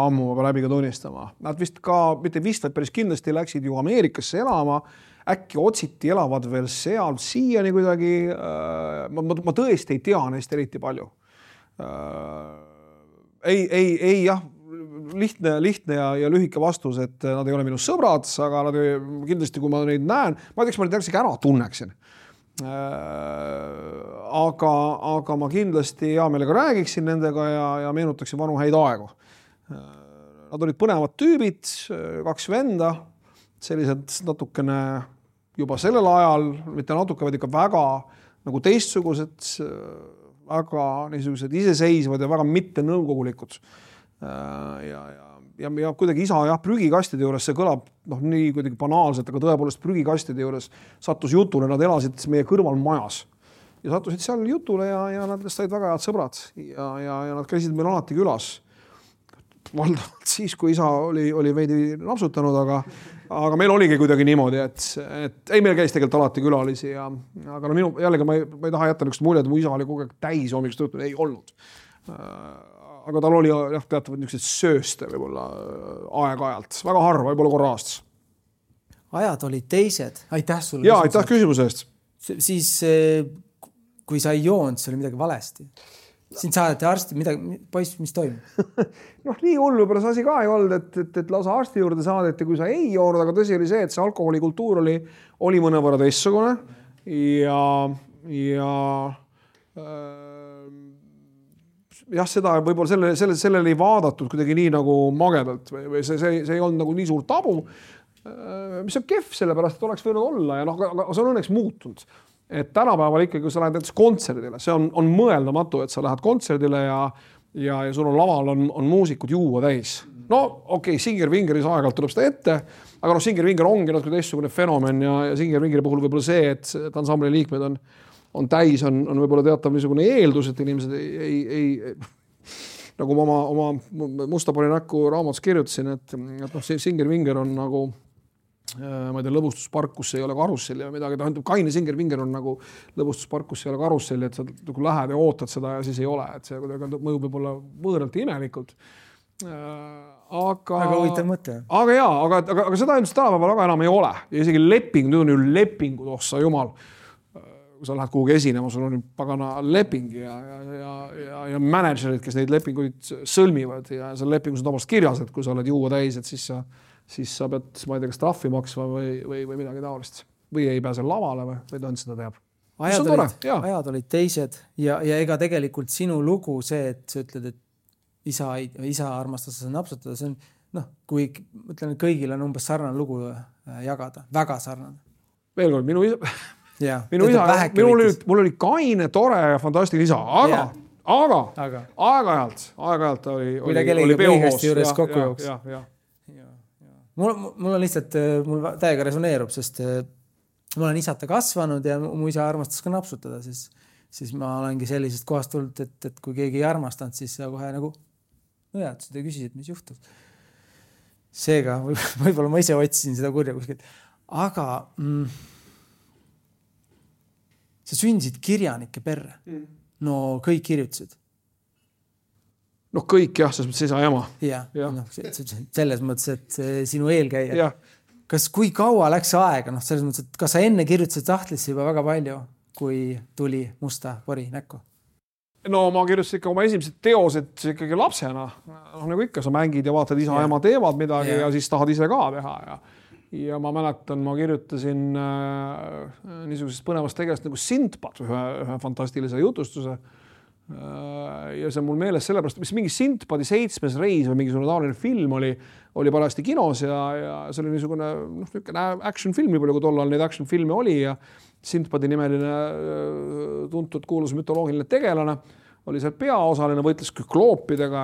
ammu, ma läbi ka tunnistama. Nad vist ka, mitte vist, vaid päris kindlasti läksid ju Ameerikasse elama. Äkki otsiti elavad veel seal siiani kuidagi. Ma tõesti ei tea neist eriti palju. Ei jah, lihtne ja lühike vastus, et nad ei ole minu sõbrad, aga nad kindlasti, kui ma neid näen, ma ei tea, ma neid ära tunneksin. Aga ma kindlasti hea meelega räägiksin nendega ja meenutaksin vanu häid aegu. Nad olid põnevad tüübid, 2 venda, sellised natukene juba sellel ajal, mitte natuke, vaid ikka väga nagu teistsugused, väga niisugused iseseisvad ja väga mitte nõukogulikud. Ja kuidagi isa prügikastide juures, see kõlab nii kuidagi banaalselt, aga tõepoolest prügikastide juures sattus jutule, nad elasid meie kõrval majas ja sattusid seal jutule ja nad said väga head sõbrad ja nad käisid meil alati külas. Valdavalt siis, kui isa oli veidi napsutanud, aga meil oligi kuidagi niimoodi, et ei, meil käis tegelikult alati külalisi aga jällegi ma ei taha jätta niisugust muljet, et mu isa oli kogu aeg täis hommikust õhtuni, ei olnud. Aga tal oli teatavad niisugused sööste võib-olla aeg-ajalt. Väga harva, võib-olla korra aastas. Ajad olid teised. Aitäh sulle. Jaa, aitäh küsimuse eest. Siis, kui sa ei joonud, see oli midagi valesti. Siin saadeti arsti, poiss, mis toimub? Nii hullu võib-olla see asi ka ei olnud, et lausa arsti juurde saadeti, kui sa ei joonud, aga tõsi oli see, et see alkoholikultuur oli mõnevõrra teistsugune jah, seda võib-olla sellele ei vaadatud kuidagi nii nagu magedalt või see ei olnud nagu nii suur tabu, mis on kehv sellepärast, et oleks võinud olla ja aga see on õnneks muutunud. Et tänapäeval ikkagi, kui sa lähed näiteks kontserdile, see on mõeldamatu, et sa lähed kontserdile ja sul on laval on muusikud juua täis. Okei, Singer-Vingeris aeg-ajalt tuleb seda ette, aga Singer-Vinger ongi natuke teistsugune fenomen ja Singer-Vingeri puhul võib-olla see, et ansambli liikmed on täis, on võib-olla teatav niisugune eeldus, et inimesed ei nagu ma oma Mustapori näkku raamatus kirjutasin, et Singer-Vinger on nagu ma ei tea, lõbustuspark, kus ei ole karusselli ja midagi, kaine Singer-Vinger on nagu lõbustuspark, kus ei ole karusselli, et sa nagu lähed ja ootad seda ja siis ei ole, et see mõjub võib-olla võõralt ja imelikult. Aga huvitav mõte. Aga seda ilmselt tänapäeval väga enam ei ole ja isegi leping, nüüd on ju lepingud, ossa jumal. Kui sa lähed kuhugi esinema, sul on pagana leping ja managerid, kes neid lepinguid sõlmivad ja seal lepingus on tavaliselt kirjas, et kui sa oled juua täis, et siis sa siis sa pead, ma ei tea, kas trahvi maksma või midagi taolist. Või ei pääse lavale või ta on seda teab. Ajad olid teised ja ega tegelikult sinu lugu see, et sa ütled, et isa armastas seda napsutada, see on, kui mõtlen, et kõigil on umbes sarnane lugu jagada, väga sarnane. Veel kord, mul oli kaine, tore ja fantastiline isa, aga aeg-ajalt oli peohoos. Juures kokku jooks. Mul on lihtsalt, mul täiega resoneerub, sest ma olen isata kasvanud ja mu isa armastas ka napsutada, siis ma olengi sellisest kohast tulnud, et kui keegi ei armastanud, siis sa kohe nagu sa te küsisid, mis juhtub. Seega, võib-olla ma ise otsisin seda kurja kuskilt. Aga sa sündisid kirjanike perre. No kõik kirjutasid. No kõik jah, selles mõttes isa ja ema. Selles mõttes, et sinu eelkäija. Kas kui kaua läks aega? Selles mõttes, et kas sa enne kirjutasid tahtlisse juba väga palju, kui tuli musta pori näkku? No ma kirjutasin ikka oma esimesed teosed ikkagi lapsena. Nagu ikka, sa mängid ja vaatad isa ja ema teevad midagi ja siis tahad ise ka teha. Ja ma mäletan, ma kirjutasin niisugusest põnevast tegelast nagu Sindbad, ühe fantastilise jutustuse. Ja see on mul meeles sellepärast, mis mingi Sindbadi 7. reis või mingisugune taoline film oli parajasti kinos ja see oli niisugune action film, nii palju kui tollal neid action filme oli ja Sindbadi nimeline tuntud kuulus mütoloogiline tegelane oli seal peaosaline, võitles kükloopidega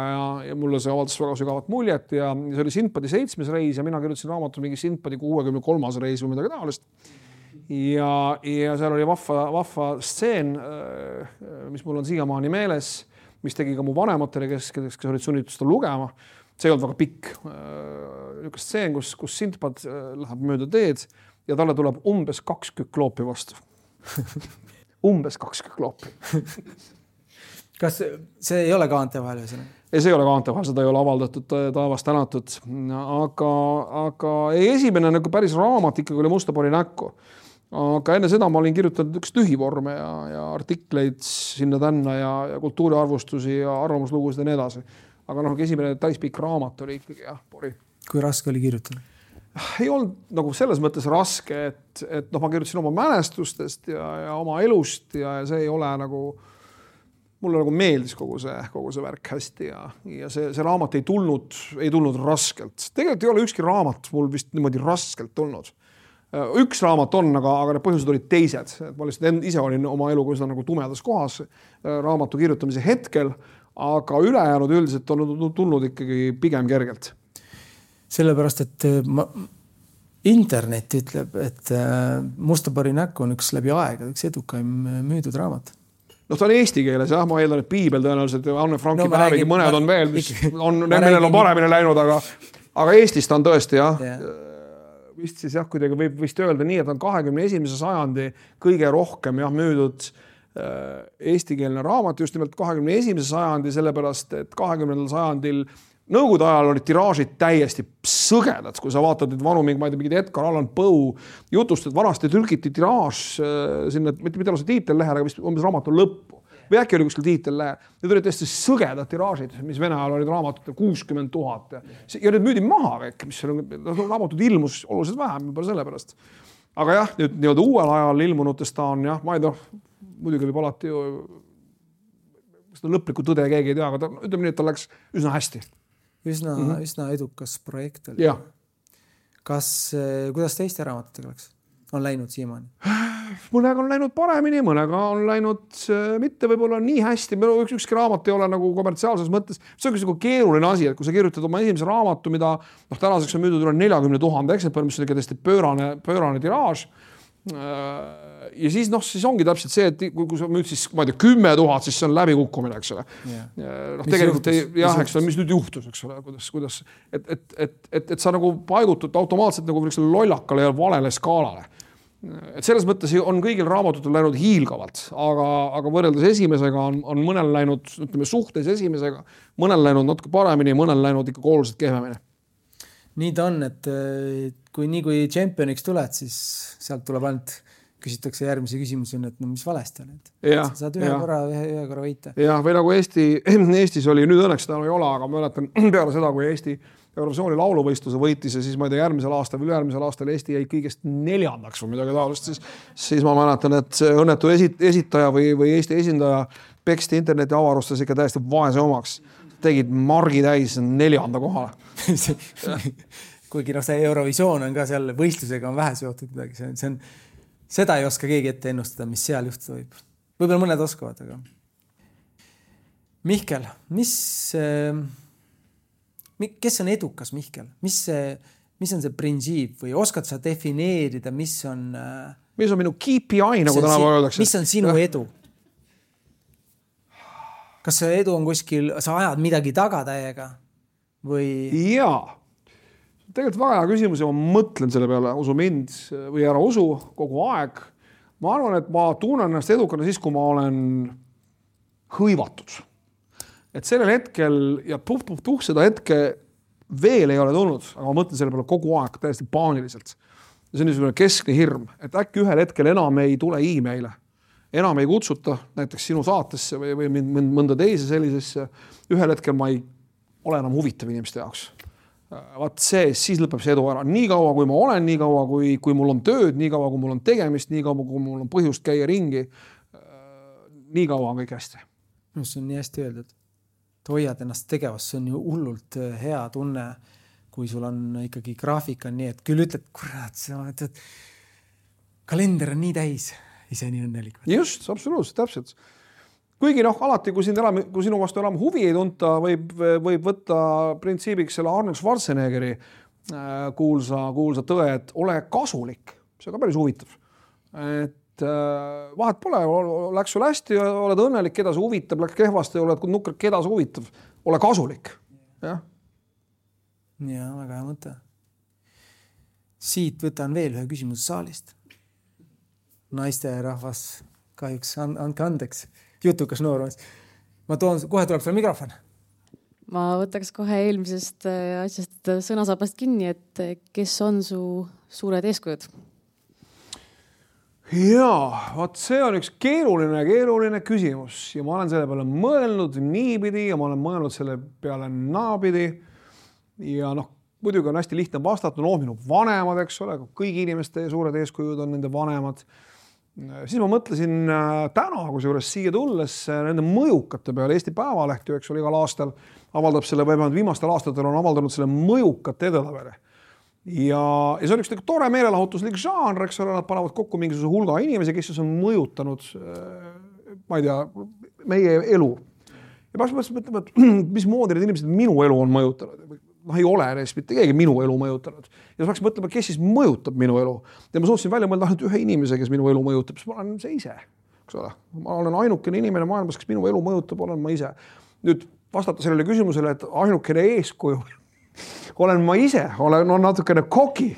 ja mulle see avaldas väga sügavat muljet ja see oli Sindbadi 7. reis ja mina kirjutasin raamatu mingi Sindbadi 63. reis või midagi taolist. Ja seal oli vahva stseen, mis mul on siiamaani meeles, mis tegi ka mu vanematele, kes olid sunnitud seda lugema. See ei olnud väga pikk. Üks stseen, kus Sindbad läheb mööda teed ja talle tuleb umbes 2 kükloopi vastu. Umbes 2 kükloopi. Kas see ei ole kaante vahel? Ei, see ei ole kaante vahel, seda ei ole avaldatud taevast tänatud. Aga esimene nagu päris raamat ikkagi oli Musta pori näkku. Aga enne seda ma olin kirjutanud üks tühivorme ja artikleid sinna tänna ja kultuuriarvustusi ja arvamuslugusid ja nii edasi. Aga esimene täispikk raamat oli ikkagi pori. Kui raske oli kirjutada? Ei olnud nagu selles mõttes raske, et ma kirjutasin oma mälestustest ja oma elust ja see ei ole nagu, mulle nagu meeldis kogu see värk hästi ja see raamat ei tulnud raskelt. Tegelikult ei ole ükski raamat mul vist niimoodi raskelt tulnud. Üks raamat on, aga need põhjused olid teised. Ma lihtsalt ise olin oma eluga üsna nagu tumedas kohas raamatu kirjutamise hetkel, aga ülejäänud üldiselt on tulnud ikkagi pigem kergelt. Sellepärast, et internet ütleb, et Musta pori näkku on üks läbi aega, üks edukaim müüdud raamat. Ta on eesti keeles, ma eeldan, et Piibel tõenäoliselt ja Anne Franki päevigi mõned on veel, mis nendel on paremini läinud, aga Eestis ta on tõesti vist siis kuidagi võib vist öelda nii, et on 21. sajandi kõige rohkem müüdud eestikeelne raamat just nimelt 21. sajandi, sellepärast, et 20. sajandil Nõukogude ajal olid tiraažid täiesti sõgedad, kui sa vaatad nüüd vanu mingid Edgar Allan Poe jutust, et vanasti trükiti tiraaž sinna, mitte ole see tiitellehel, aga vist umbes raamatu lõppu. Või äkki oli kuskil tiitellehel. Need olid tõesti sõgedad tiraažid, mis Vene ajal olid raamatud 60 000. Ja need müüdi maha kõik, mis raamatud ilmus oluliselt vähem, juba sellepärast. Aga jah, nüüd nii-öelda uuel ajal ilmunutest ta on, ma ei tea, muidugi võib alati ju, lõplikku tõde keegi ei tea, aga ütleme nii, et ta läks üsna hästi. Üsna edukas projekt oli. Kuidas teiste raamatutega läks? On läinud siiamaani? Mõnega on läinud paremini, mõnega on läinud mitte võib-olla nii hästi. Ükski raamat ei ole nagu kommertsiaalses mõttes. See on nagu keeruline asi, et kui sa kirjutad oma esimese raamatu, mida tänaseks on müüdud üle 40 000 eksemplar, mis on tõesti pöörane tiraaž. Ja siis ongi täpselt see, et kui sa müüd siis, ma ei tea, 10 000, siis see on läbikukkumine, eks ole. Tegelikult mis nüüd juhtus, eks ole, kuidas, et sa nagu paigutud automaatselt nagu lollakale ja valele skaalale. Et selles mõttes on kõigil raamatutel läinud hiilgavalt, aga võrreldes esimesega on mõnel läinud, ütleme suhtes esimesega, mõnel läinud natuke paremini, mõnel läinud ikka oluliselt kehvemini. Nii ta on, et kui championiks tuled, siis sealt tuleb ainult küsitakse järgmise küsimusi, et mis valesti on. Saad ühe korra võita. Jah, või nagu Eestis oli, nüüd õnneks seda ei ole, aga ma mäletan peale seda, kui Eesti Eurovisiooni lauluvõistluse võitis ja siis ma ei tea, järgmisel aastal või ülejärgmisel aastal Eesti jäi kõigest 4. või midagi taolist, siis ma mäletan, et see õnnetu esitaja või Eesti esindaja peksti interneti avarustes ikka täiesti vaese omaks. Tegid margi täis 4. kohale. Kuigi see Eurovisioon on ka seal võistlusega on vähe seotud midagi. Seda ei oska keegi ette ennustada, mis seal juhtuda võib. Võib-olla mõned oskavad, aga... Mihkel, kes on edukas, Mihkel? Mis on see printsiip või oskad sa defineerida, mis on minu KPI, nagu täna öeldakse? Mis on sinu edu? Kas see edu on kuskil, sa ajad midagi taga täiega? Või... Jaa. Tegelikult väga hea küsimus ja ma mõtlen selle peale, usu mind või ära usu kogu aeg. Ma arvan, et ma tunnen ennast edukana siis, kui ma olen hõivatud. Et sellel hetkel ja seda hetke veel ei ole tulnud, aga ma mõtlen selle peale kogu aeg täiesti paaniliselt. Ja see on niisugune keskne hirm, et äkki ühel hetkel enam ei tule e-maile, enam ei kutsuta näiteks sinu saatesse või mõnda teise sellisesse. Ühel hetkel ma ei ole enam huvitav inimeste jaoks. Vaat siis lõpeb see edu ära. Nii kaua, kui ma olen, nii kaua, kui mul on tööd, nii kaua, kui mul on tegemist, nii kaua, kui mul on põhjust käia ringi, nii kaua on kõik hästi. See on nii hästi öeldud. Hoiad ennast tegevast, see on ju hullult hea tunne, kui sul on ikkagi graafik on nii, et küll ütled, kurat, kalender on nii täis, ise nii õnnelik. Just, absoluutselt, täpselt. Kuigi alati, kui sinu vastu enam huvi ei tunta, võib võtta printsiibiks selle Arnold Schwarzeneggeri kuulsa tõe, et ole kasulik. See on ka päris huvitav. Et vahet pole, läks sul hästi, oled õnnelik, keda see huvitab, läks kehvasti, oled nukker, keda see huvitab. Ole kasulik. Ja, väga hea mõte. Siit võtan veel ühe küsimuse saalist. Naiste rahvas kahjuks andke andeks. Jutukas noormees. Kohe tuleb sulle mikrofon. Ma võtaks kohe eelmisest asjast sõnasabast kinni, et kes on su suured eeskujud? Jaa, vaat see on üks keeruline küsimus ja ma olen selle peale mõelnud niipidi ja ma olen mõelnud selle peale naapidi ja muidugi on hästi lihtne vastata, minu vanemad, eks ole, kõigi inimeste suured eeskujud on nende vanemad. Siis ma mõtlesin täna, kusjuures siia tulles nende mõjukate peale. Eesti Päevaleht ju, eks ole, igal aastal avaldab selle, viimastel aastatel on avaldanud selle mõjukate edetabeli. Ja see on üks tore meelelahutuslik žanr, eks ole, nad panevad kokku mingisuguse hulga inimesi, kes on mõjutanud, ma ei tea, meie elu. Ja ma mõtlema, et mis moodi need inimesed minu elu on mõjutanud. Ei ole neist mitte keegi minu elu mõjutanud. Ja saaks mõtlema, kes siis mõjutab minu elu. Ja ma suutsin välja mõelda ainult ühe inimese, kes minu elu mõjutab, siis ma olen see ise. Eks ole? Ma olen ainukene inimene maailmas, kes minu elu mõjutab, olen ma ise. Nüüd vastata sellele küsimusele, et ainukene eeskuju olen ma ise, olen natukene koki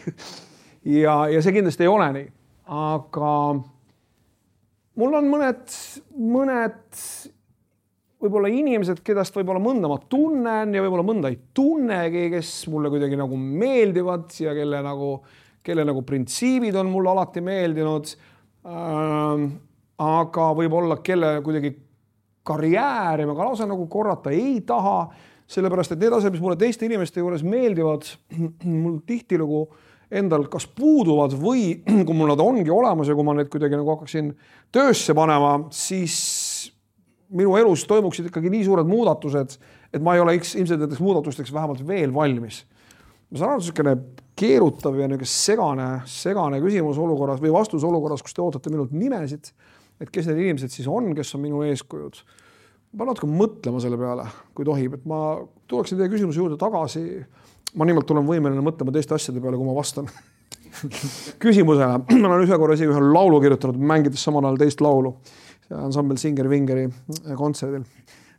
ja see kindlasti ei ole nii. Aga mul on mõned võib-olla inimesed, kedast võib-olla mõnda ma tunnen ja võib-olla mõnda ei tunnegi, kes mulle kuidagi meeldivad ja kelle printsiibid on mulle alati meeldinud. Aga võib-olla kelle kuidagi karjääri ma ka lausa korrata ei taha, sellepärast, et need asjad, mis mulle teiste inimeste juures meeldivad, mul tihtilugu endal kas puuduvad või kui mul nad ongi olemas ja kui ma need kuidagi hakkaksin töösse panema, siis minu elus toimuksid ikkagi nii suured muudatused, et ma ei ole ilmselt nendeks muudatusteks vähemalt veel valmis. Ma saan niisugune keerutav ja segane küsimus olukorras või vastus olukorras, kus te ootate minult nimesid, et kes need inimesed siis on, kes on minu eeskujud. Ma natuke mõtlema selle peale, kui tohib, et ma tuleksin teie küsimuse juurde tagasi. Ma nimelt olen võimeline mõtlema teiste asjade peale, kui ma vastan küsimusele. Ma olen ühe korra isegi ühe laulu kirjutanud, mängides samal ajal teist laulu. Ansambel Singer Vingeri kontserdil.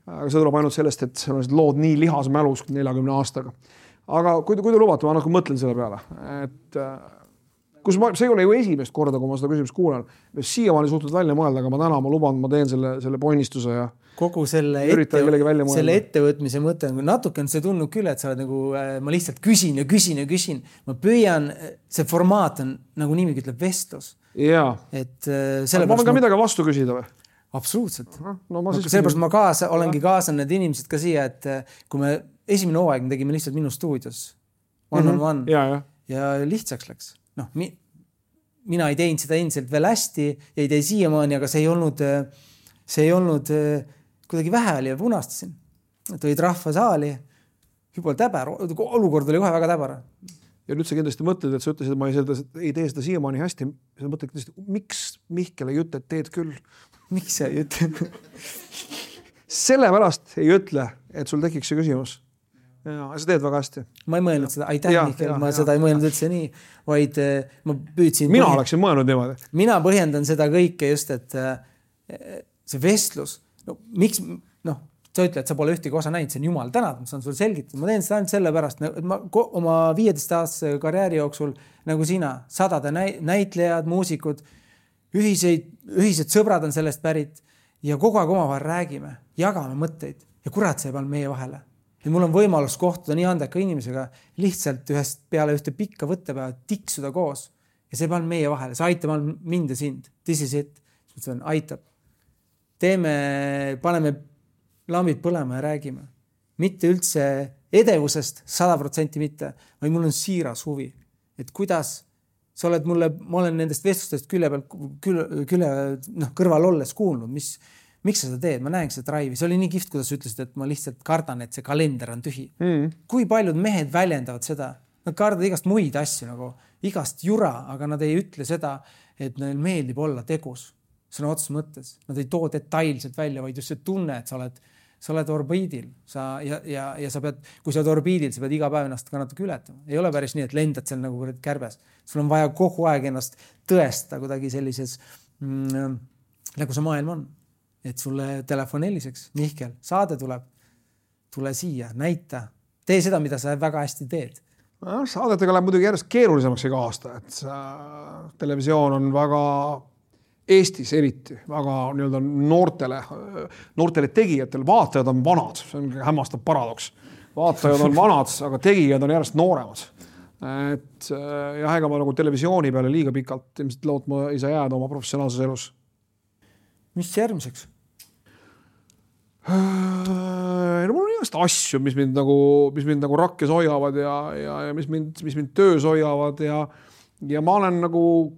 Aga see tuleb ainult sellest, et see on lood nii lihas mälus 40 aastaga. Aga kui te lubate, ma natuke mõtlen selle peale. Et, see ei ole ju esimest korda, kui ma seda küsimust kuulen. Siiamaani suhtud välja mõelda, aga ma luban, ma teen selle poinistuse ja kogu selle ettevõtmise mõte on natuke on see tundnud küll, et sa oled ma lihtsalt küsin. Ma püüan, see formaat on niimoodi ütleb vestlus. Jaa. Ma võin ka midagi vastu küsida või? Absoluutselt. Sellepärast ma olengi kaasan need inimesed ka siia, et kui me esimene hooaeg me tegime lihtsalt minu stuudios. One on one. Ja lihtsaks läks. Noh, mina ei teinud seda endiselt veel hästi ja ei tee siiamaani, aga see ei olnud kuidagi vähe oli ja punastasin. Tõid rahva saali, juba täber, olukord oli kohe väga täber. Ja nüüd sa kindlasti mõtled, et sa ütlesid, et ma ei tee seda siiamaani hästi. Sa mõtled, miks Mihkel ei ütle, et teed küll? Miks sa ei ütle? Sellepärast ei ütle, et sul tekiks see küsimus. Ja, sa teed väga hästi. Ma ei mõelnud seda. Aitäh, Mihkel. Ma seda ei mõelnud üldse nii, vaid ma püüdsin... Mina oleksin mõelnud niimoodi. Mina põhjendan seda kõike just, et see vestlus, miks, sa ütle, et sa pole ühtegi osa näinud, see on jumal tänad, ma saan sulle selgitada. Ma teen seda ainult sellepärast, et ma oma 15-aastase karjääri jooksul, nagu sina, 100 näitlejad, muusikud, ühised sõbrad on sellest pärit ja kogu aeg omavahel räägime, jagame mõtteid ja kurat see peal meie vahele. Ja mul on võimalus kohtuda nii andeka inimesega lihtsalt ühest peale ühte pikka võttepäeva tiksuda koos ja see peal meie vahele. See aitab mind ja sind. This is it. Aitab. Paneme lambid põlema ja räägime. Mitte üldse edevusest 100% mitte, vaid mul on siiras huvi. Et kuidas sa oled ma olen nendest vestlustest kõrval olles kuulnud, miks sa seda teed? Ma näen seda drive'i. See oli nii kihvt, kuidas ütlesid, et ma lihtsalt kardan, et see kalender on tühi. Kui paljud mehed väljendavad seda? Nad kardavad igast muid asju, nagu igast jura, aga nad ei ütle seda, et neil meeldib olla tegus. Sõna otses mõttes. Nad ei too detailselt välja, vaid just see tunne, et sa oled orbiidil. Ja sa pead, kui sa oled orbiidil, sa pead iga päev ennast ka natuke ületama. Ei ole päris nii, et lendad seal nagu kärbes. Sul on vaja kogu aeg ennast tõesta kuidagi sellises, nagu see maailm on. Et sulle telefon heliseks. Mihkel, saade tuleb. Tule siia, näita. Tee seda, mida sa väga hästi teed. Saadetega läheb muidugi järjest keerulisemaks iga aasta. Et televisioon on väga... Eestis eriti väga noortele tegijatele, vaatajad on vanad, see on hämmastav paradoks. Vaatajad on vanad, aga tegijad on järjest nooremad. Et ja ega ma nagu televisiooni peale liiga pikalt ilmselt lootma ei saa jääda oma professionaalses elus. Mis järgmiseks? Mul on igast asju, mis mind nagu rakkes hoiavad ja mis mind töös hoiavad ja ma olen nagu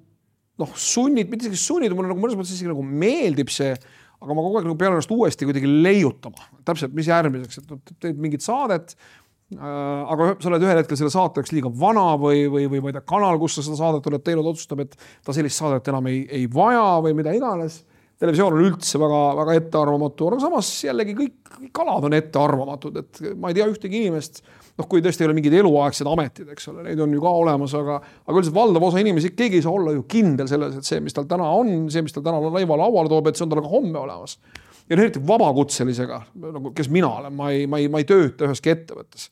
sunnid, mitte isegi sunnid, mulle nagu mõnes mõttes isegi nagu meeldib see, aga ma kogu aeg nagu pean ennast uuesti kuidagi leiutama. Täpselt, mis järgmiseks, et teed mingit saadet, aga sa oled ühel hetkel selle saateks liiga vana või ma ei tea, kanal, kus sa seda saadet oled teinud, otsustab, et ta sellist saadet enam ei vaja või mida iganes. Televisioon on üldse väga, väga ettearvamatu, aga samas jällegi kõik kalad on ettearvamatud, et ma ei tea ühtegi inimest, kui tõesti ei ole mingid eluaegsed ametid, eks ole, neid on ju ka olemas, aga üldiselt valdav osa inimesi, keegi ei saa olla ju kindel selles, et see, mis tal täna on, see, mis tal täna lauale toob, et see on tal ka homme olemas. Ja eriti vabakutselisega, kes mina olen, ma ei tööta üheski ettevõttes.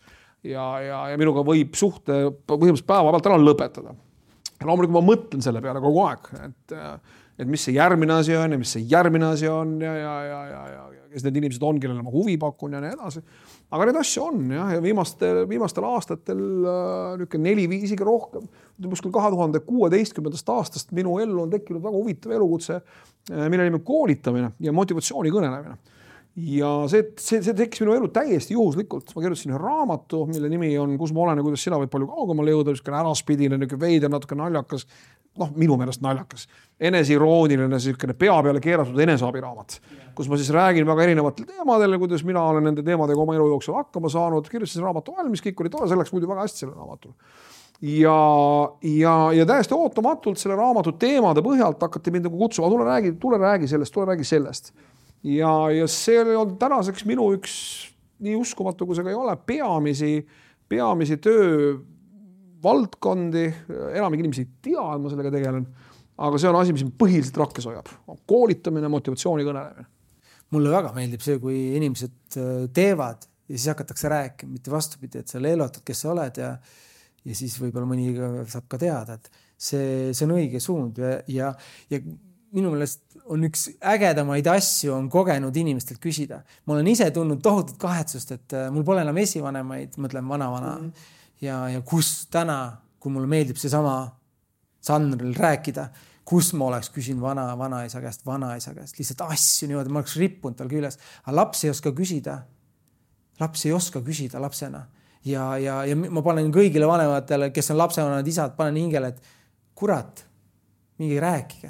Ja minuga võib suhte põhimõtteliselt päeva pealt ära lõpetada. Ja loomulikult ma mõtlen selle peale kogu aeg, et mis see järgmine asi on ja mis see järgmine asi on ja kes need inimesed on, kellele ma huvi pakun ja nii edasi. Aga need asju on ja viimastel aastatel 4-5 isegi rohkem. Kuskil 2016. aastast minu ellu on tekkinud väga huvitav elukutse, mille nimi koolitamine ja motivatsiooni kõnelemine. Ja see tekkis minu elu täiesti juhuslikult. Ma kirjutasin ühe raamatu, mille nimi on Kus ma olen ja kuidas sina võid palju kaugemale jõuda, äraspidine, veider, natuke naljakas, minu meelest naljakas, eneseirooniline, pea peale keeratud eneseabiraamat, kus ma siis räägin väga erinevatel teemadel, kuidas mina olen nende teemadega oma elu jooksul hakkama saanud, kirjutasin raamatu valmis, kõik oli tore, see läks muidu väga hästi selle raamatul. Ja täiesti ootamatult selle raamatu teemade põhjalt hakati mind nagu kutsuma, tule räägi sellest. Ja see on tänaseks minu üks nii uskumatu, kui see ka ei ole, peamisi töö valdkondi, enamik inimesi ei tea, et ma sellega tegelen, aga see on asi, mis põhiliselt rakkes hoiab. Koolitamine, motivatsiooni kõnelemine. Mulle väga meeldib see, kui inimesed teevad ja siis hakatakse rääkima, mitte vastupidi, et sa leelotad, kes sa oled ja siis võib-olla mõni saab ka teada, et see on õige suund ja minu meelest on üks ägedamaid asju on kogenud inimestelt küsida. Ma olen ise tundnud tohutut kahetsust, et mul pole enam esivanemaid, mõtlen vana. Ja kus täna, kui mulle meeldib see sama žanril rääkida, kus ma oleks küsin vanaisa käest, lihtsalt asju niimoodi, ma oleks rippunud tal küljes. Aga laps ei oska küsida. laps ei oska küsida lapsena ja ma panen kõigile vanematele, kes on lapsevanemad isad, panen hingele, et kurat, mingi rääkige,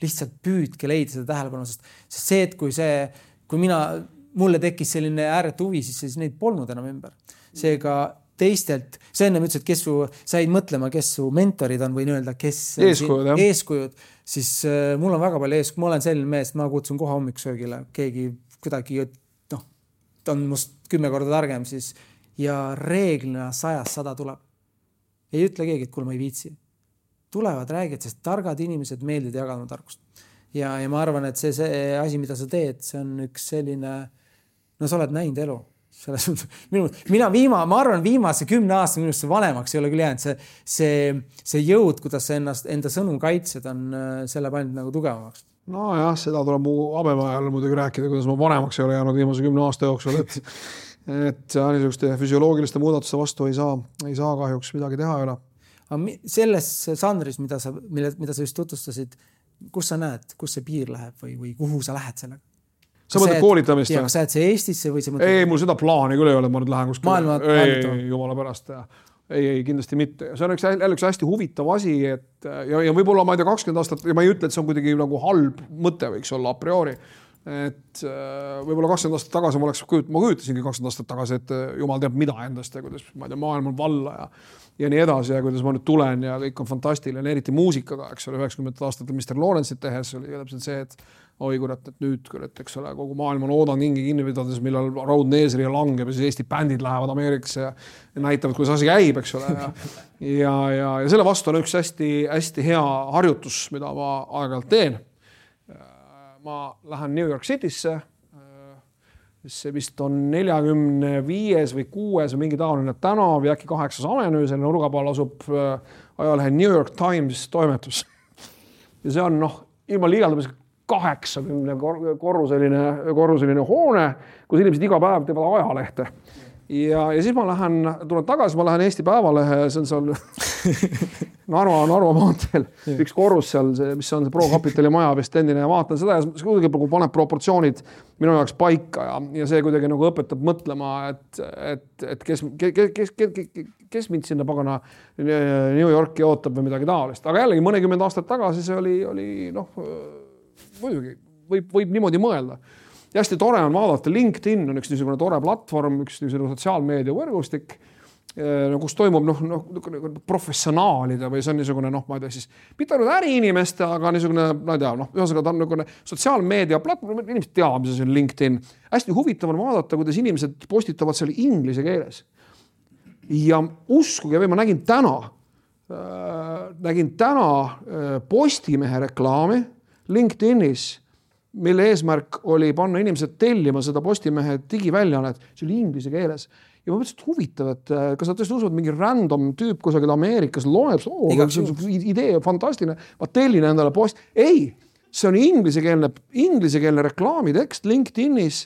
lihtsalt püüdke leida seda tähelepanu, sest see, et kui mulle tekkis selline ääretu huvi, siis neid polnud enam ümber. Seega teistelt, sa enne ütlesid, kes said mõtlema, kes su mentorid on, võin öelda, kes eeskujud, siis mul on väga palju eeskujud, ma olen selline mees, ma kutsun kohe hommikusöögile, keegi kuidagi, ta on must 10 korda targem siis ja reeglina 100 tuleb. Ei ütle keegi, et kuule, ma ei viitsi. Tulevad räägid, sest targad inimesed meeldivad jagama tarkust. Ja ma arvan, et see asi, mida sa teed, see on üks selline, sa oled näinud elu. Ma arvan, viimase 10 aasta minust see vanemaks ei ole küll jäänud. See jõud, kuidas sa enda sõnu kaitsed, on selle pannud nagu tugevamaks. No jah, seda tuleb mu abemajal muidugi rääkida, kuidas ma vanemaks ei ole jäänud viimase 10 aasta jooksul, et niisuguste füsioloogiliste muudatuste vastu ei saa kahjuks midagi teha ei ole. Selles žanris, mida sa just tutvustasid, kus sa näed, kus see piir läheb või kuhu sa lähed sellega? Sa mõtled koolitamist? Kas sa jääd see Eestisse või sa mõtled? Ei, mul seda plaani küll ei ole, ma nüüd lähen kuskile. Ei, jumala pärast. Ei, kindlasti mitte. See on üks hästi huvitav asi, ja võib-olla ma ei tea 20 aastat, ja ma ei ütle, et see on kuidagi nagu halb mõte võiks olla a priori. Et võib-olla 20 aastat tagasi ma kujutasingi 20 aastat tagasi, et jumal teab mida endast ja kuidas ma ei tea, maailm on valla ja nii edasi ja kuidas ma nüüd tulen ja kõik on fantastiline, eriti muusikaga, eks ole, 90 aastatel Mr. Lawrence'it tehes oli täpselt see, et oi kurat, et nüüd, eks ole, kogu maailm on oodanud hingi kinni pidades, millal Road Neesri langeb ja siis Eesti bändid lähevad Ameerikasse ja näitavad, kuidas asi käib, eks ole. Ja selle vastu on üks hästi hea harjutus, mida ma aeg-ajalt teen. Ma lähen New York Citysse, see vist on 45 või 6 või mingi taoline tänav ja äkki 8 Avenue, selle nurga peal asub ajalehe New York Times toimetus. Ja see on ilma liialdamisega 80 korruseline hoone, kus inimesed iga päev teevad ajalehte. Ja siis ma tulen tagasi, ma lähen Eesti Päevalehe, see on seal Narva maanteel, üks korrus seal, mis on see Pro Capitali maja vist endine ja vaatan seda ja see kuidagi paneb proportsioonid minu jaoks paika ja see kuidagi nagu õpetab mõtlema, et kes mind sinna pagana New Yorki ootab või midagi taolist. Aga jällegi mõnikümmend aastat tagasi see oli muidugi, võib niimoodi mõelda. Ja hästi tore on vaadata, LinkedIn on üks niisugune tore platvorm, üks niisugune sotsiaalmeedia võrgustik, kus toimub professionaalide või see on niisugune, ma ei tea siis, mitte ainult äriinimeste, aga niisugune, ma ei tea, ühesõnaga ta on niisugune sotsiaalmeedia platvorm, inimesed teavad, mis see on LinkedIn. Hästi huvitav on vaadata, kuidas inimesed postitavad seal inglise keeles. Ja uskuge, või ma nägin täna Postimehe reklaami LinkedInis, mille eesmärk oli panna inimesed tellima seda Postimehe digiväljanet, see oli inglise keeles. Ja ma mõtlesin, et huvitav, et kas nad tõesti usuvad mingi random tüüp kusagil Ameerikas loeb, idee fantastiline, ma tellin endale post. Ei, see on inglisekeelne reklaamitekst LinkedInis,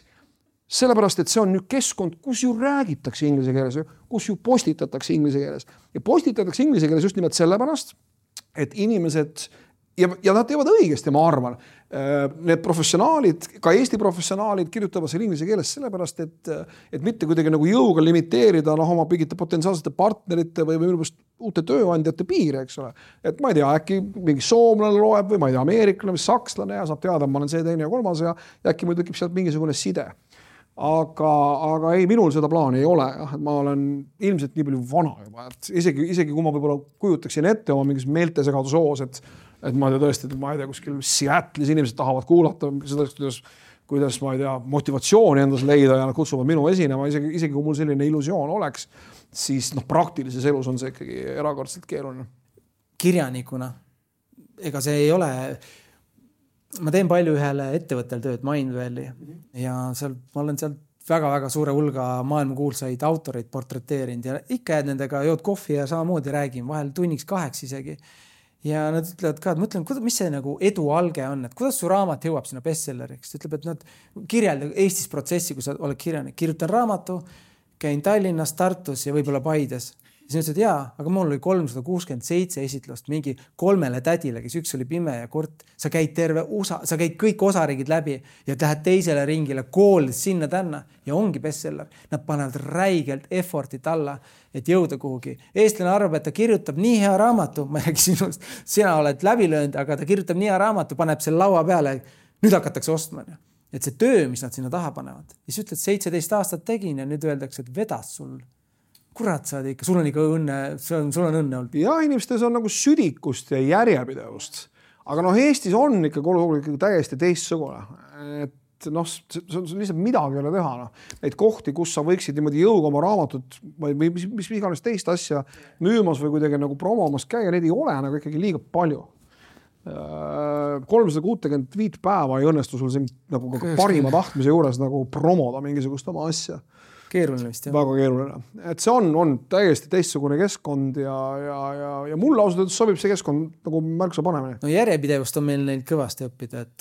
sellepärast, et see on nüüd keskkond, kus ju räägitakse inglise keeles, kus ju postitatakse inglise keeles. Ja postitatakse inglise keeles just nimelt sellepärast, et inimesed ja nad teevad õigesti, ma arvan. Need professionaalid, ka Eesti professionaalid kirjutavad seal inglise keeles sellepärast, et mitte kuidagi nagu jõuga limiteerida oma pigite potentsiaalsete partnerite või uute tööandjate piire, eks ole. Et ma ei tea, äkki mingi soomlane loeb või ma ei tea, ameeriklane või sakslane ja saab teada, ma olen see, teine ja kolmas ja äkki mul tekib sealt mingisugune side. Aga ei, minul seda plaani ei ole. Et ma olen ilmselt nii palju vana juba, et isegi kui ma võib-olla kujutaksin ette oma mingis meeltesegadusoos, et ma tõesti, ma ei tea, kuskil Seattle'is inimesed tahavad kuulata seda, kuidas ma ei tea, motivatsiooni endas leida ja nad kutsuvad minu esinema, isegi kui mul selline illusioon oleks, siis praktilises elus on see ikkagi erakordselt keeruline. Kirjanikuna, ega see ei ole, ma teen palju ühele ettevõttel tööd, Mindvalley, ja ma olen seal väga-väga suure hulga maailmakuulsaid autoreid portreteerinud ja ikka nendega jood kohvi ja samamoodi räägin, vahel tunniks 2 isegi. Ja nad ütlevad ka, et mõtlen, mis see nagu edu alge on, et kuidas su raamat jõuab sinna bestselleriks. Ütleb, et nad kirjeldavad Eestis protsessi, kui sa oled kirjanik. Kirjutan raamatu, käin Tallinnas, Tartus ja võib-olla Paides. Ja siis ütlesid, jaa, aga mul oli 367 esitlust mingi 3 tädile, kes üks oli pime ja kurt. Sa käid sa käid kõik osariigid läbi ja lähed teisele ringile, koolides sinna tänna ja ongi bestseller. Nad panevad räigelt effortit alla, et jõuda kuhugi. Eestlane arvab, et ta kirjutab nii hea raamatu, ma ei räägi sinust, sina oled läbi löönud, aga ta kirjutab nii hea raamatu, paneb selle laua peale, nüüd hakatakse ostma. Et see töö, mis nad sinna taha panevad. Ja siis ütled, 17 aastat tegin ja nüüd öeldakse, et vedas sul. Kurat, sa ikka, sul on ikka õnne, sul on õnne olnud. Ja inimestes on nagu südikust ja järjepidevust. Aga Eestis on ikka täiesti teistsugune. Et see on lihtsalt midagi ei ole teha. Neid kohti, kus sa võiksid niimoodi jõuga oma raamatut või mis iganes teist asja müümas või kuidagi nagu promomas käia, neid ei ole nagu ikkagi liiga palju. 365 päeva ei õnnestu sul siin nagu parima tahtmise juures nagu promoda mingisugust oma asja. Keeruline vist, jah. Väga keeruline. Et see on täiesti teistsugune keskkond ja mulle ausalt öeldes sobib see keskkond nagu märksa panemini. No järjepidevust on meil neil kõvasti õppida, et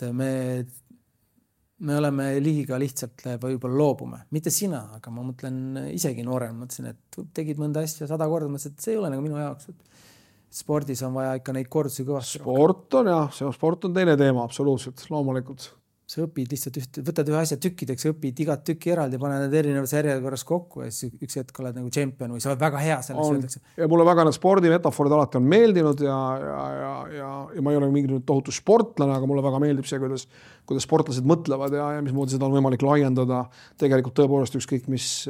me oleme liiga lihtsalt võib-olla loobume. Mitte sina, aga ma mõtlen isegi noorem. Mõtlesin, et tegid mõnda asja 100 korda, mõtlesin, et see ei ole nagu minu jaoks. Spordis on vaja ikka neid kordusi kõvasti. Sport on teine teema, absoluutselt, loomulikult. Sa õpid lihtsalt võtad ühe asja tükkideks, õpid igat tükki eraldi, paned need erinevas järjekorras kokku ja siis üks hetk oled nagu tšempion või sa oled väga hea selles. Ja mulle väga need spordimetaforid alati on meeldinud ja ma ei ole mingi tohutu sportlane, aga mulle väga meeldib see, kuidas sportlased mõtlevad ja mismoodi seda on võimalik laiendada tegelikult tõepoolest ükskõik mis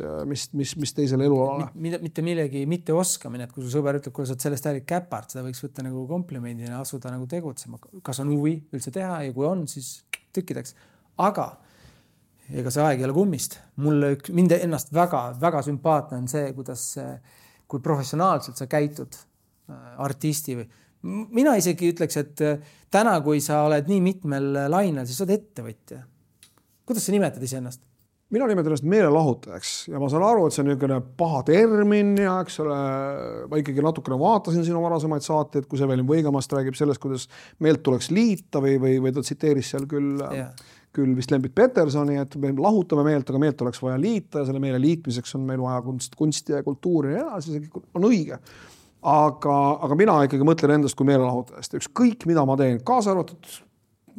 teisele elualale. Mitte millegi mitte oskamine, et kui su sõber ütleb, kui sa oled sellest äärid käpart, seda võiks võtta nagu komplimendina, asuda nagu tegutsema. Kas on huvi üldse teha ja kui on, siis tükkideks. Aga ega see aeg ei ole kummist. Mind ennast väga sümpaatne on see, kui professionaalselt sa käitud artisti või. Mina isegi ütleks, et täna, kui sa oled nii mitmel lainel, siis sa oled ettevõtja. Kuidas sa nimetad ise ennast? Mina nimetan ennast meelelahutajaks ja ma saan aru, et see on niisugune paha termin ja eks ole, ma ikkagi natukene vaatasin sinu varasemaid saateid, kui Evelin Võigamast räägib sellest, kuidas meelt tuleks liita või ta tsiteeris seal küll vist Lembit Petersoni, et me lahutame meelt, aga meelt oleks vaja liita ja selle meele liitmiseks on meil vaja kunsti ja kultuuri ja see on õige. Aga mina ikkagi mõtlen endast kui meelelahutajast. Ükskõik, mida ma teen, kaasa arvatud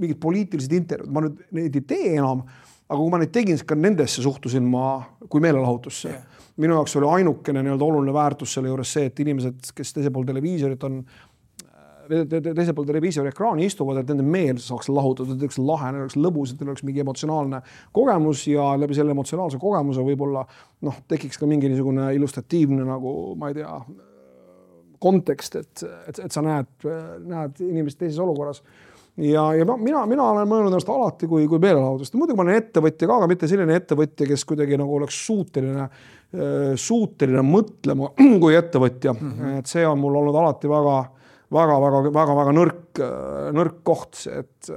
mingid poliitilised intervjuud, ma nüüd neid ei tee enam, aga kui ma neid tegin, siis ka nendesse suhtusin ma kui meelelahutusse. Minu jaoks oli ainukene oluline väärtus selle juures see, et inimesed, kes teisel pool televiisori ekraani istuvad, et nende meel saaks lahutada, et oleks lahe, oleks lõbus, et oleks mingi emotsionaalne kogemus ja läbi selle emotsionaalse kogemuse võib-olla tekiks ka mingi niisugune illustratiivne nagu, ma ei tea, kontekst, et sa näed inimest teises olukorras. Ja mina olen mõelnud ennast alati kui meelelahutust. Muidugi ma olen ettevõtja ka, aga mitte selline ettevõtja, kes kuidagi nagu oleks suuteline mõtlema kui ettevõtja. Et see on mul olnud alati väga nõrk koht. Et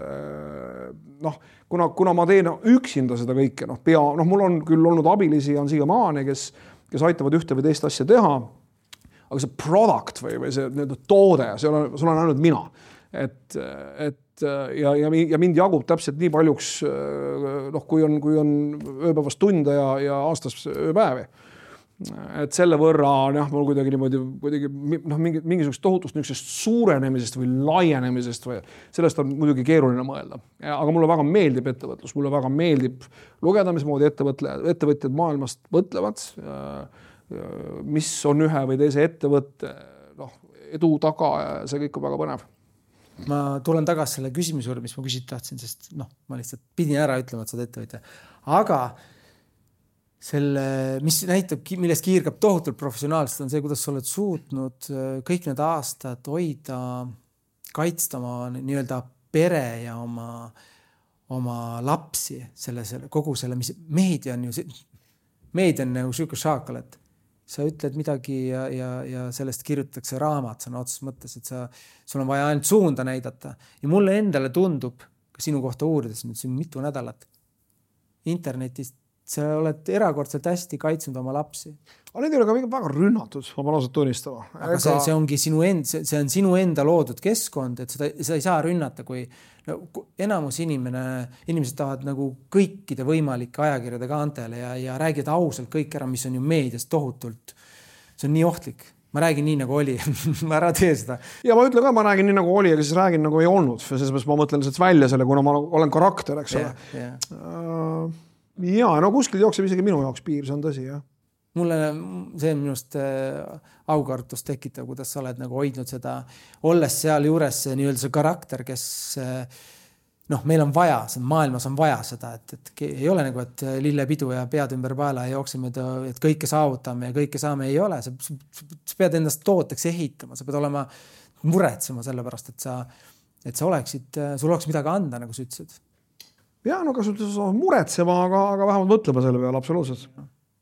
kuna ma teen üksinda seda kõike, mul on küll olnud abilisi, on siiamaani, kes aitavad ühte või teist asja teha, aga see product või see toode, sul on ainult mina. Ja mind jagub täpselt nii paljuks, kui on ööpäevast tunde ja aastas ööpäevi. Et selle võrra mul kuidagi mingisugust tohutust suurenemisest või laienemisest või sellest on muidugi keeruline mõelda. Aga mulle väga meeldib ettevõtlus, mulle väga meeldib lugeda, mismoodi ettevõtjad maailmast mõtlevad, mis on ühe või teise ettevõtte edu taga ja see kõik on väga põnev. Ma tulen tagasi selle küsimuse juurde, mis ma küsida tahtsin, sest ma lihtsalt pidin ära ütlema, et sa oled ettevõtja. Aga mis näitab, millest kiirgab tohutult professionaalselt, on see, kuidas sa oled suutnud kõik need aastad hoida, kaitsta oma nii-öelda pere ja oma lapsi, kogu selle, mis meedia on nagu siuke šaakal, et sa ütled midagi ja sellest kirjutatakse raamat sõna otseses mõttes, et sul on vaja ainult suunda näidata. Ja mulle endale tundub, ka sinu kohta uurides nüüd siin mitu nädalat internetist, sa oled erakordselt hästi kaitsnud oma lapsi. Aga need ei ole ka väga rünnatud, ma pean ausalt tunnistama. Aga see ongi see on sinu enda loodud keskkond, et seda ei saa rünnata, kui enamus inimesed tahavad nagu kõikide võimalike ajakirjade kaantele ja räägid ausalt kõik ära, mis on ju meedias tohutult. See on nii ohtlik. ma räägin nii nagu oli ma ära tee seda. Ja ma ütlen ka, ma räägin nii nagu oli, aga siis räägin nagu ei olnud. Selles mõttes ma mõtlen lihtsalt välja selle, kuna ma olen karakter, eks ole. Ja no kuskil jookseb isegi minu jaoks piir, see on tõsi, jah. Mulle see on minust aukartust tekitav, kuidas sa oled nagu hoidnud seda, olles seal juures nii-öelda see karakter, kes meil on vaja, maailmas on vaja seda, et ei ole nagu, et lillepidu ja pead ümber paela ja jookseme, et kõike saavutame ja kõike saame, ei ole. Sa pead endast tooteks ehitama, sa pead olema muretsema selle pärast, et sa oleksid, sul oleks midagi anda, nagu sa ütlesid. Ja, no kas muretsema, aga vähemalt mõtlema selle peale, absoluutselt.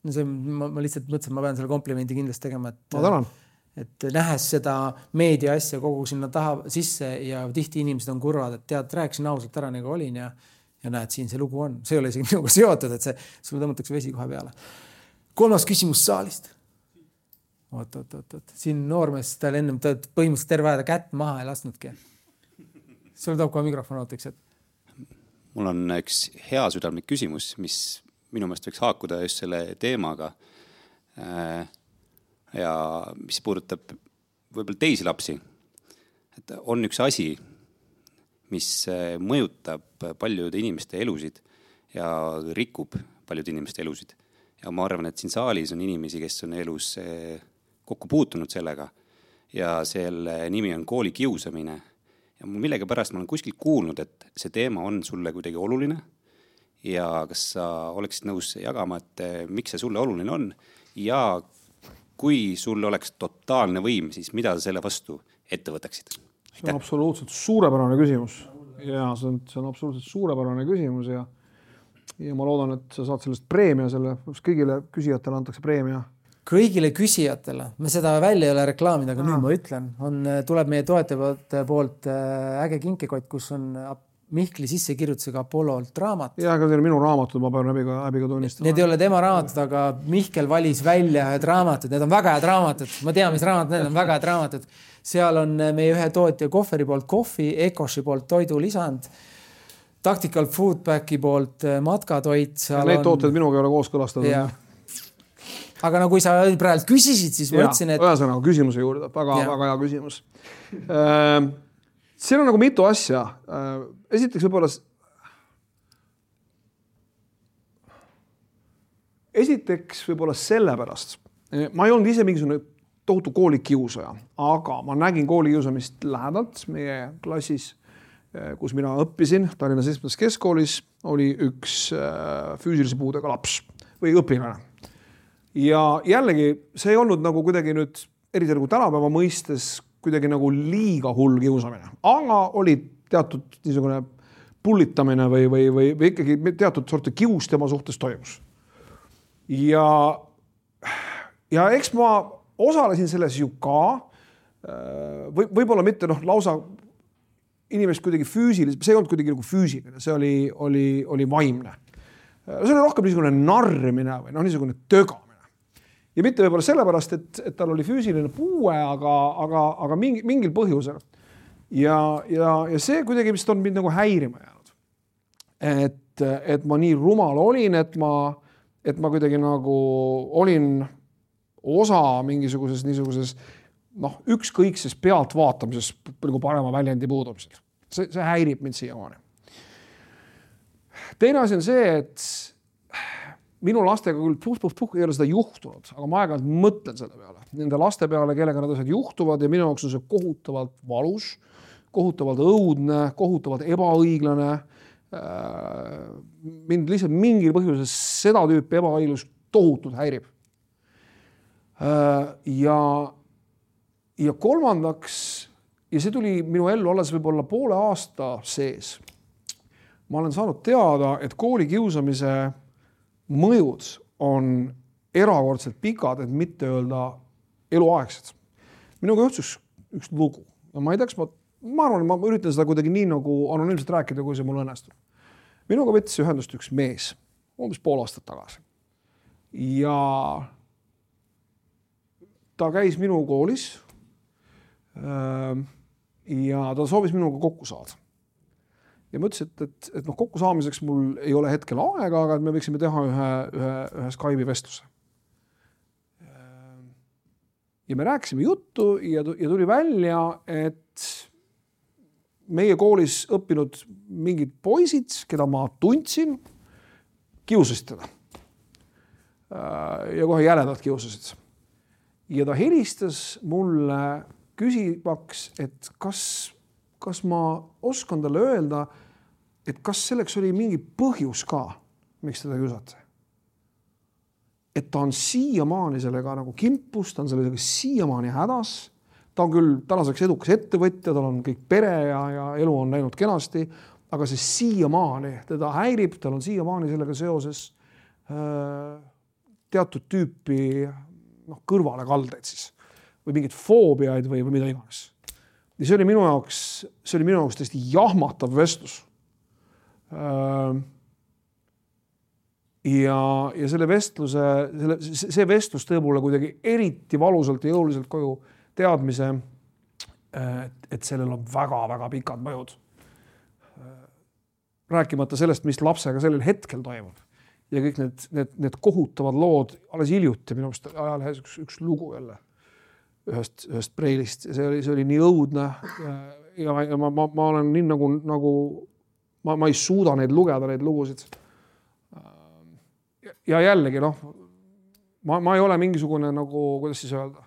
Ma lihtsalt mõtlesin, ma pean selle komplimendi kindlasti tegema, ma tänan. Et nähes seda meedia asja kogu sinna taha sisse ja tihti inimesed on kurvad, et tead, rääkisin ausalt ära nagu olin ja näed, siin see lugu on. See ei ole isegi minuga seotud, et sulle tõmmatakse vesi kohe peale. 3. küsimus saalist. Oot. Siin noormees tal ennem põhimõtteliselt terve aeda kätt maha ei lasknudki. Sulle toob kohe mikrofon ootaks, et mul on üks hea südamlik küsimus, mis minu meelest võiks haakuda just selle teemaga ja mis puudutab võib-olla teisi lapsi. Et on üks asi, mis mõjutab paljude inimeste elusid ja rikub paljude inimeste elusid. Ja ma arvan, et siin saalis on inimesi, kes on elus kokku puutunud sellega ja selle nimi on koolikiusamine. Ja millega pärast ma olen kuskil kuulnud, et see teema on sulle kuidagi oluline ja kas sa oleksid nõus jagama, et miks see sulle oluline on ja kui sulle oleks totaalne võim, siis mida sa selle vastu ette võtaksid? See on absoluutselt suurepärane küsimus. Ja see on absoluutselt suurepärane küsimus ja ma loodan, et sa saad sellest preemia selle, kõigile küsijatele antakse preemia. Kõigile küsijatele, me seda välja ei ole reklaamida, aga nüüd ma ütlen, tuleb meie toetajate poolt äge kinkekott, kus on Mihkli sissekirjutusega Apollolt raamat. Ja, aga minu raamatud, ma pean häbiga tunnistama. Need ei ole tema raamatud, aga Mihkel valis välja ühed raamatud, need on väga head raamatud. Ma tean, mis raamatud, need on väga head raamatud. Seal on meie ühe tootja Kohveri poolt kohvi, Ecoshi poolt toidulisand, Tactical Foodbacki poolt matkatoit. Neid tooted minuga ei ole kooskõlastatud. Aga no kui sa praegu küsisid, siis ma ütlesin, et ühesõnaga küsimuse juurde, väga hea küsimus. Siin on nagu mitu asja. Esiteks võib-olla sellepärast. Ma ei olnud ise mingisugune tohutu koolikiusaja, aga ma nägin koolikiusamist lähedalt meie klassis, kus mina õppisin. Tallinna 7. keskkoolis oli üks füüsilise puudega laps või õpilane. Ja jällegi, see ei olnud nagu kuidagi nüüd, eriti nagu tänapäeva mõistes, kuidagi nagu liiga hull kiusamine. Aga oli teatud niisugune pullitamine või ikkagi teatud sorti kius tema suhtes toimus. Ja eks ma osalesin selles ju ka, võib-olla mitte lausa inimest kuidagi füüsilis, see ei olnud kuidagi nagu füüsiline, see oli vaimne. See oli rohkem niisugune narrimine või niisugune tögamine. Ja mitte võib-olla sellepärast, et tal oli füüsiline puue, aga mingil põhjusel. Ja see kuidagi vist on mind nagu häirima jäänud. Et ma nii rumal olin, et ma kuidagi nagu olin osa mingisuguses niisuguses ükskõikses pealt vaatamises nagu parema väljendi puudumisel. See häirib mind siiamaani. Teine asi on see, et minu lastega küll ei ole seda juhtunud, aga ma aeg-ajalt mõtlen selle peale. Nende laste peale, kellega nad asjad juhtuvad ja minu jaoks on see kohutavalt valus, kohutavalt õudne, kohutavalt ebaõiglane. Mind lihtsalt mingil põhjusel seda tüüpi ebaõiglus tohutult häirib. Ja kolmandaks, ja see tuli minu ellu alles võib-olla poole aasta sees, ma olen saanud teada, et koolikiusamise mõjud on erakordselt pikad, et mitte öelda eluaegsed. Minuga juhtus üks lugu. Ma ei teaks, ma arvan, ma üritan seda kuidagi nii nagu anonüümselt rääkida, kui see mul õnnestub. Minuga võttis ühendust üks mees, umbes pool aastat tagasi. Ja ta käis minu koolis ja ta soovis minuga kokku saada. Ja ma ütlesin, et kokku saamiseks mul ei ole hetkel aega, aga me võiksime teha ühe Skype'i vestluse. ja me rääkisime juttu ja tuli välja, et meie koolis õppinud mingid poisid, keda ma tundsin, kiusasid teda. Ja kohe jäledalt kiusasid. Ja ta helistas mulle küsimaks, et kas ma oskan talle öelda, et kas selleks oli mingi põhjus ka, miks teda kiusati. Et ta on siiamaani sellega nagu kimpus, ta on sellega siiamaani hädas. Ta on küll tänaseks edukas ettevõtja, tal on kõik pere ja elu on läinud kenasti, aga see siiamaani teda häirib, tal on siiamaani sellega seoses teatud tüüpi kõrvale kaldeid siis või mingid foobiaid või mida iganes. Ja see oli minu jaoks tõesti jahmatav vestlus. Ja selle vestluse, see vestlus tõi mulle kuidagi eriti valusalt ja jõuliselt koju teadmise, et sellel on väga-väga pikad mõjud. Rääkimata sellest, mis lapsega sellel hetkel toimub. Ja kõik need kohutavad lood, alles hiljuti minu meelest ajalehes üks lugu jälle ühest preilist. See oli nii õudne ja ma olen nii nagu ma ei suuda neid lugeda, neid lugusid. Ja jällegi, ma ei ole mingisugune nagu, kuidas siis öelda,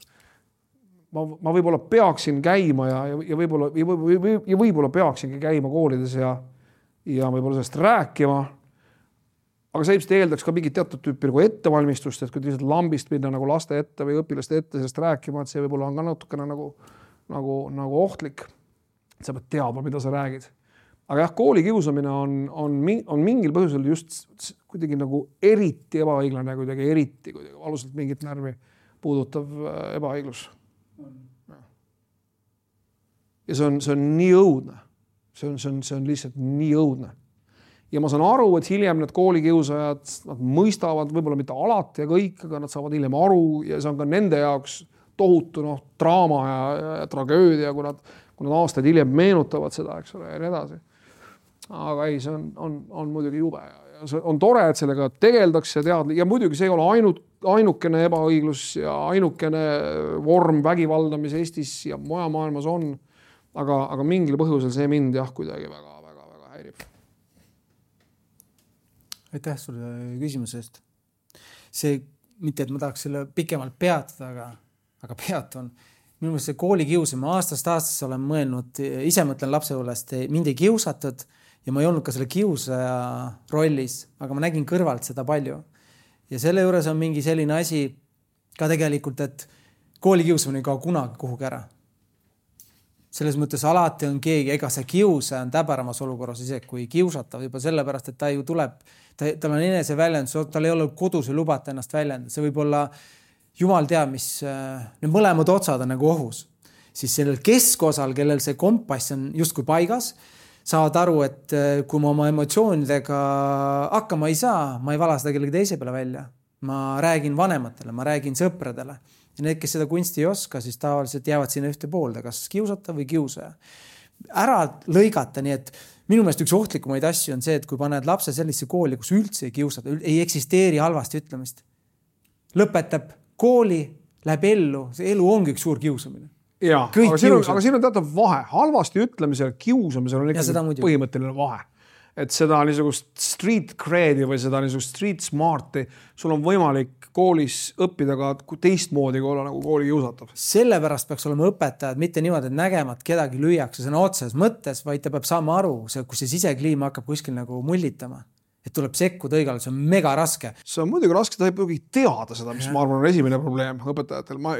ma võib-olla peaksin käima ja võib-olla peaksingi käima koolides ja võib-olla sellest rääkima, aga see ilmselt eeldaks ka mingit teatud tüüpi nagu ettevalmistust, et kui lihtsalt lambist minna nagu laste ette või õpilaste ette sellest rääkima, et see võib-olla on ka natukene nagu ohtlik, et sa pead teadma, mida sa räägid. Aga jah, koolikiusamine on mingil põhjusel just kuidagi nagu eriti ebaõiglane, kuidagi eriti valusalt mingit närvi puudutav ebaõiglus. Ja see on nii õudne. See on lihtsalt nii õudne. Ja ma saan aru, et hiljem need koolikiusajad, nad mõistavad võib-olla mitte alati ja kõik, aga nad saavad hiljem aru ja see on ka nende jaoks tohutu draama ja tragöödia, kui nad aastaid hiljem meenutavad seda, eks ole, ja nii edasi. Aga ei, see on muidugi jube ja see on tore, et sellega tegeldakse ja muidugi see ei ole ainukene ebaõiglus ja ainukene vorm vägivalda, mis Eestis ja mujal maailmas on, aga mingil põhjusel see mind jah kuidagi väga häirib. Aitäh sulle küsimuse eest. See, mitte et ma tahaks selle pikemalt peatada, aga peatun. Minu meelest see koolikiusamine aastast aastas olen mõelnud, ise mõtlen lapsepõlvest, mind ei kiusatud ja ma ei olnud ka selle kiusaja rollis, aga ma nägin kõrvalt seda palju. Ja selle juures on mingi selline asi ka tegelikult, et koolikiusamine ei kao kunagi kuhugi ära. Selles mõttes alati on keegi, ega see kiusaja on täbäramas olukorras ise kui kiusatav juba sellepärast, et ta ju tuleb, tal on enese väljendus, tal ei ole kodus või lubata ennast väljendada. See võib olla jumal teab, mis need mõlemad otsad on nagu ohus. Siis sellel keskosal, kellel see kompass on justkui paigas, saavad aru, et kui ma oma emotsioonidega hakkama ei saa, ma ei vala seda kellegi teise peale välja. Ma räägin vanematele, ma räägin sõpradele. Ja need, kes seda kunsti ei oska, siis tavaliselt jäävad sinna ühte poolde, kas kiusata või kiusaja. Ära lõigata, nii et minu meelest üks ohtlikumaid asju on see, et kui paned lapse sellise kooli, kus üldse ei kiusata, ei eksisteeri halvasti ütlemist. Lõpetab kooli, läheb ellu, see elu ongi üks suur kiusamine. Jaa, aga siin on teatav vahe. Halvasti ütlemisel, kiusamisel on ikkagi põhimõtteline vahe. Et seda niisugust street credi või seda niisugust street smarti, sul on võimalik koolis õppida ka teistmoodi kui olla nagu kooli kiusatav. Sellepärast peaks olema õpetajad mitte niimoodi, et nägemat kedagi lüüakse sõna otses mõttes, vaid ta peab saama aru, kui see sisekliima hakkab kuskil nagu mullitama. Et tuleb sekkuda õigalt, see on mega raske. See on muidugi raske, ta ei pruugi teada seda, mis ma arvan on esimene probleem õpetajatel. Ma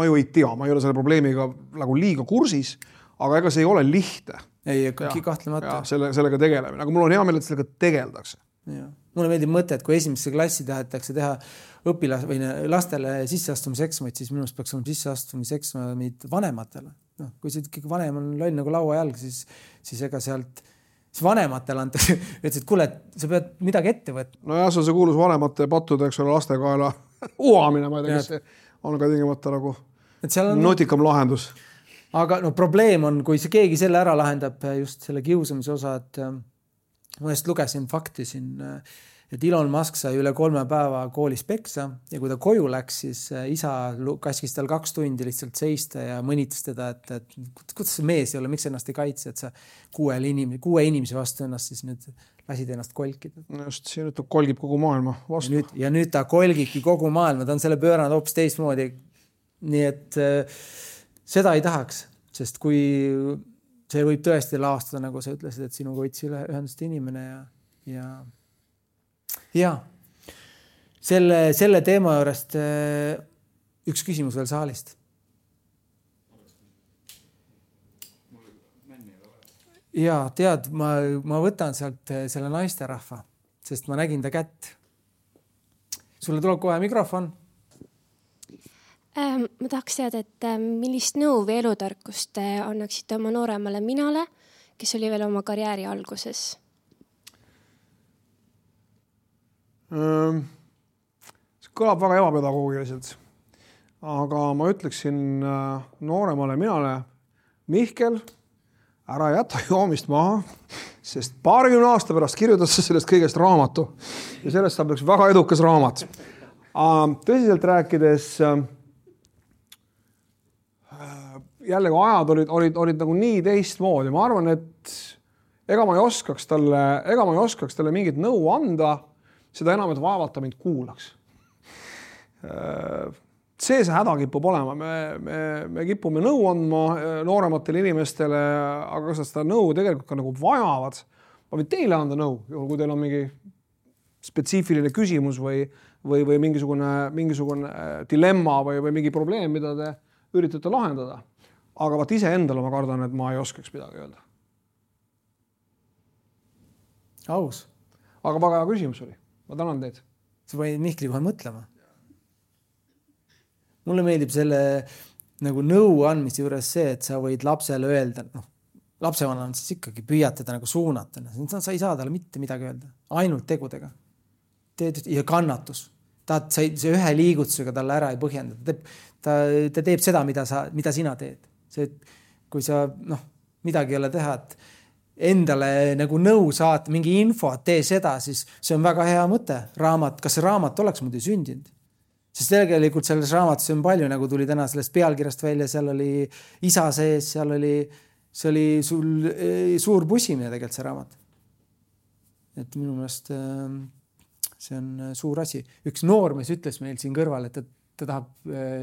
ju ei tea, ma ei ole selle probleemiga nagu liiga kursis, aga ega see ei ole lihtne. Ei, kahtlemata. Sellega tegelemine, aga mul on hea meel, et sellega tegeldakse. Ja. Mulle meeldib mõte, et kui esimesse klassi tahetakse teha lastele sisseastumiseksamid, siis minust peaks olema sisseastumiseksamid vanematele. Kui see ikkagi vanem on loll nagu lauajalg, siis ega sealt vanematele antakse, et kuule, sa pead midagi ette võtta. No jah, see on see kuulus vanemate pattude, eks ole, lastekaela uhamine, ma ei tea, kas see on ka tingimata nagu nutikam lahendus. Aga probleem on, kui see keegi selle ära lahendab just selle kiusamise osa, et ma just lugesin fakti siin, et Elon Musk sai üle 3 päeva koolis peksa ja kui ta koju läks, siis isa käskis tal 2 tundi lihtsalt seista ja mõnitas teda, et kuidas see mees ei ole, miks ennast ei kaitse, et sa 6 inimese vastu ennast siis nüüd lasid ennast kolkida. Just, siin ta kolgib kogu maailma vastu. Ja nüüd ta kolgibki kogu maailma, ta on selle pööranud hoopis teistmoodi. Nii et seda ei tahaks, sest kui see võib tõesti laastada, nagu sa ütlesid, et sinuga võtsi ühendust inimene ja selle teema juurest üks küsimus veel saalist. Ja tead, ma võtan sealt selle naisterahva, sest ma nägin ta kätt. Sulle tuleb kohe mikrofon. Ma tahaks teada, et millist nõu või elutarkust annaksite oma nooremale minale, kes oli veel oma karjääri alguses? See kõlab väga ebapedagoogiliselt, aga ma ütleksin nooremale minale, Mihkel, ära jäta joomist maha, sest 20 aasta pärast kirjutas sa sellest kõigest raamatu ja sellest saab üks väga edukas raamat. Tõsiselt rääkides, jällegi ajad olid nagu nii teistmoodi. Ma arvan, et ega ma ei oskaks talle mingit nõu anda, seda enam, et vaevalt ta mind kuulaks. See häda kipub olema. Me kipume nõu andma noorematele inimestele, aga kas seda nõu tegelikult ka nagu vajavad. Ma võin teile anda nõu, kui teil on mingi spetsiifiline küsimus või mingisugune dilemma või mingi probleem, mida te üritate lahendada. Aga vaat ise endale ma kardan, et ma ei oskaks midagi öelda. Aus. Aga väga hea küsimus oli. Ma tänan teid. Sa võid Mihkli kohe mõtlema. Mulle meeldib selle nagu nõu andmise juures see, et sa võid lapsele öelda, lapsevanemana siis ikkagi püüad teda nagu suunata. Sa ei saa talle mitte midagi öelda. Ainult tegudega. Ja kannatus. See ühe liigutusega talle ära ei põhjenda. Ta teeb seda, mida sina teed. See, kui sa midagi ei ole teha, et endale nagu nõu saata, mingi info, tee seda, siis see on väga hea mõte. Kas see raamat oleks muidu sündinud? Sest tegelikult selles raamatus on palju, nagu tuli täna sellest pealkirjast välja, seal oli isa sees, see oli sul suur pussimine tegelikult see raamat. Et minu meelest see on suur asi. Üks noormees ütles meil siin kõrval, et ta tahab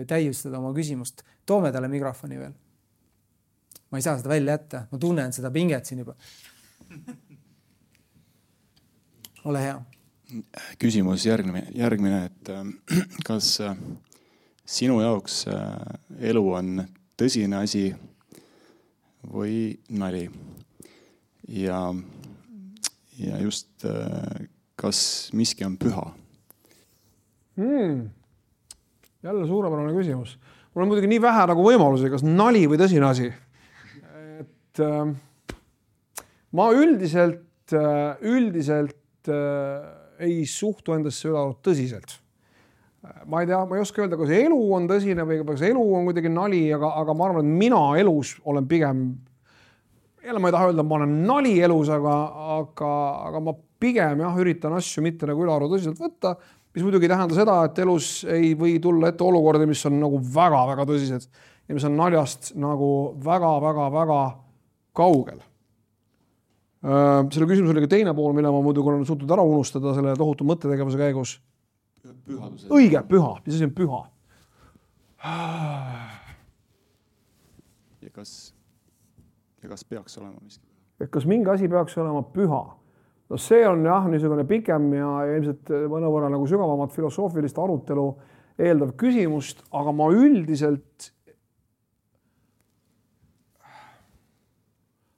täiustada oma küsimust. Toome talle mikrofoni veel. Ma ei saa seda välja jätta. Ma tunnen seda pinget siin juba. Ole hea. Küsimus järgmine, et kas sinu jaoks elu on tõsine asi või nali? Ja just kas miski on püha? Jälle suurepärane küsimus. Mul on muidugi nii vähe nagu võimalusi, kas nali või tõsine asi. Ma üldiselt ei suhtu endasse üle tõsiselt. Ma ei tea, ma ei oska öelda, kas elu on tõsine või kas elu on kuidagi nali, aga ma arvan, et mina elus olen pigem, jälle ma ei taha öelda, ma olen nali elus, aga ma pigem üritan asju mitte nagu ülearu tõsiselt võtta, mis muidugi tähendab seda, et elus ei või tulla ette olukordi, mis on nagu väga-väga tõsised ja mis on naljast nagu väga-väga-väga kaugel. Selle küsimus oli ka teine pool, mille ma muidugi olen suutnud ära unustada selle tohutu mõttetegevuse käigus. Pühaduse. Õige, püha. Mis asi on püha? Ja kas peaks olema miski? Kas mingi asi peaks olema püha? No see on niisugune pikem ja ilmselt mõnevõrra nagu sügavamat filosoofilist arutelu eeldav küsimust, aga ma üldiselt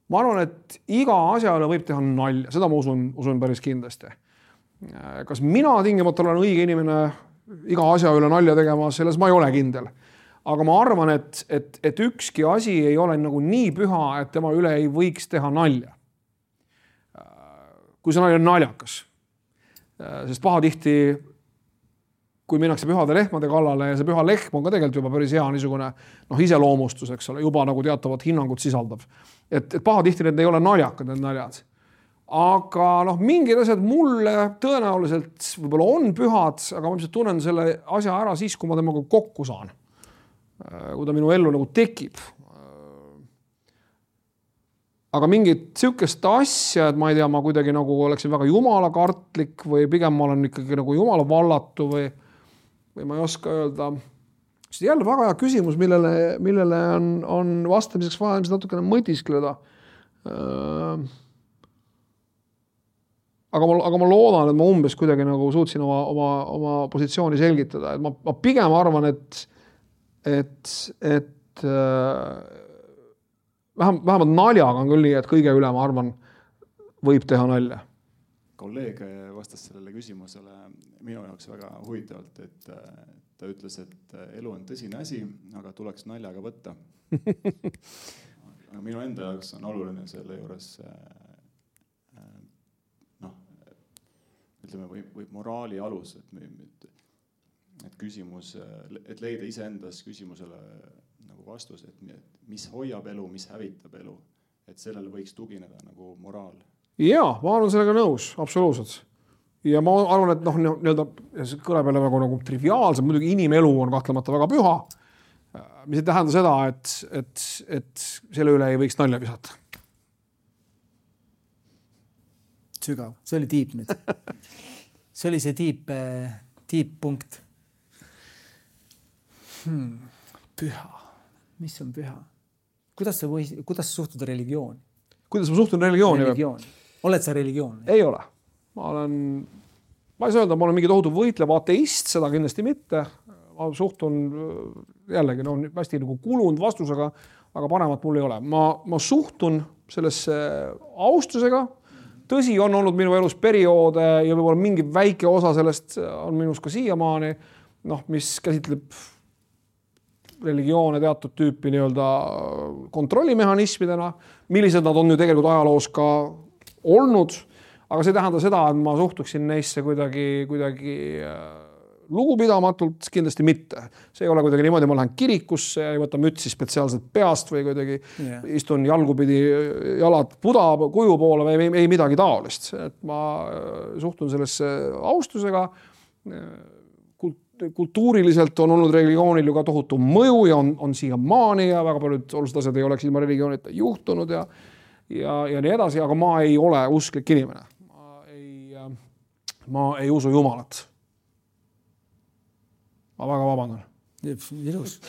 ma arvan, et iga asjale võib teha nalja, seda ma usun päris kindlasti. Kas mina tingimata olen õige inimene iga asja üle nalja tegema, selles ma ei ole kindel. Aga ma arvan, et ükski asi ei ole nagu nii püha, et tema üle ei võiks teha nalja. Kui see nali on naljakas. Sest pahatihti, kui minnakse pühade lehmade kallale ja see püha lehm on ka tegelikult juba päris hea niisugune iseloomustus, eks ole, juba nagu teatavat hinnangut sisaldab. Et pahatihti need ei ole naljakad, need naljad. aga noh, mingid asjad mulle tõenäoliselt võib-olla on pühad, aga ma ilmselt tunnen selle asja ära siis, kui ma temaga kokku saan. Kui ta minu ellu nagu tekib. Aga mingit sihukest asja, et ma ei tea, ma kuidagi nagu oleksin väga jumalakartlik või pigem ma olen ikkagi nagu jumala vallatu või ma ei oska öelda. See jälle väga hea küsimus, millele on vastamiseks vaja natukene mõtiskleda. Aga ma loodan, et ma umbes kuidagi nagu suutsin oma positsiooni selgitada. Et ma pigem arvan, et vähemalt naljaga on küll nii, et kõige üle, ma arvan, võib teha nalja. Kolleeg vastas sellele küsimusele minu jaoks väga huvitavalt, et ta ütles, et elu on tõsine asi, aga tuleks naljaga võtta. Aga minu enda jaoks on oluline selle juures ütleme, või moraali alus, et küsimus, et leida iseendas küsimusele nagu vastus, et mis hoiab elu, mis hävitab elu, et sellele võiks tugineda nagu moraal. Jaa, ma olen sellega nõus, absoluutselt. Ja ma arvan, et nii-öelda kõleb jälle nagu triviaalselt, muidugi inimelu on kahtlemata väga püha, mis ei tähenda seda, et selle üle ei võiks nalja visata. Sügav, see oli tiip nüüd. See oli see tiip punkt. Püha. Mis on püha? Kuidas sa suhtud religiooni? Kuidas ma suhtun religiooni? Oled sa religioon? Ei ole. Ma ei saa öelda, ma olen mingi tohutu võitlev ateist, seda kindlasti mitte. Ma suhtun jällegi hästi nagu kulunud vastusega, aga paremat mul ei ole. Ma suhtun sellesse austusega. Tõsi, on olnud minu elus perioode ja võib-olla mingi väike osa sellest on minus ka siiamaani, mis käsitleb religioone teatud tüüpi nii-öelda kontrollimehhanismidena, millised nad on ju tegelikult ajaloos ka olnud, aga see tähendab seda, et ma suhtuksin neisse kuidagi lugupidamatult, kindlasti mitte. See ei ole kuidagi niimoodi, ma lähen kirikusse ja ei võta mütsi spetsiaalselt peast või kuidagi istun jalgupidi jalad kuju poole või ei midagi taolist. Et ma suhtun sellesse austusega. Kultuuriliselt on olnud religioonil ju ka tohutu mõju ja on siiamaani ja väga paljud olulised asjad ei oleks ilma religioonita juhtunud ja nii edasi, aga ma ei ole usklik inimene. Ma ei usu Jumalat. Ma väga vabandan. Ilus.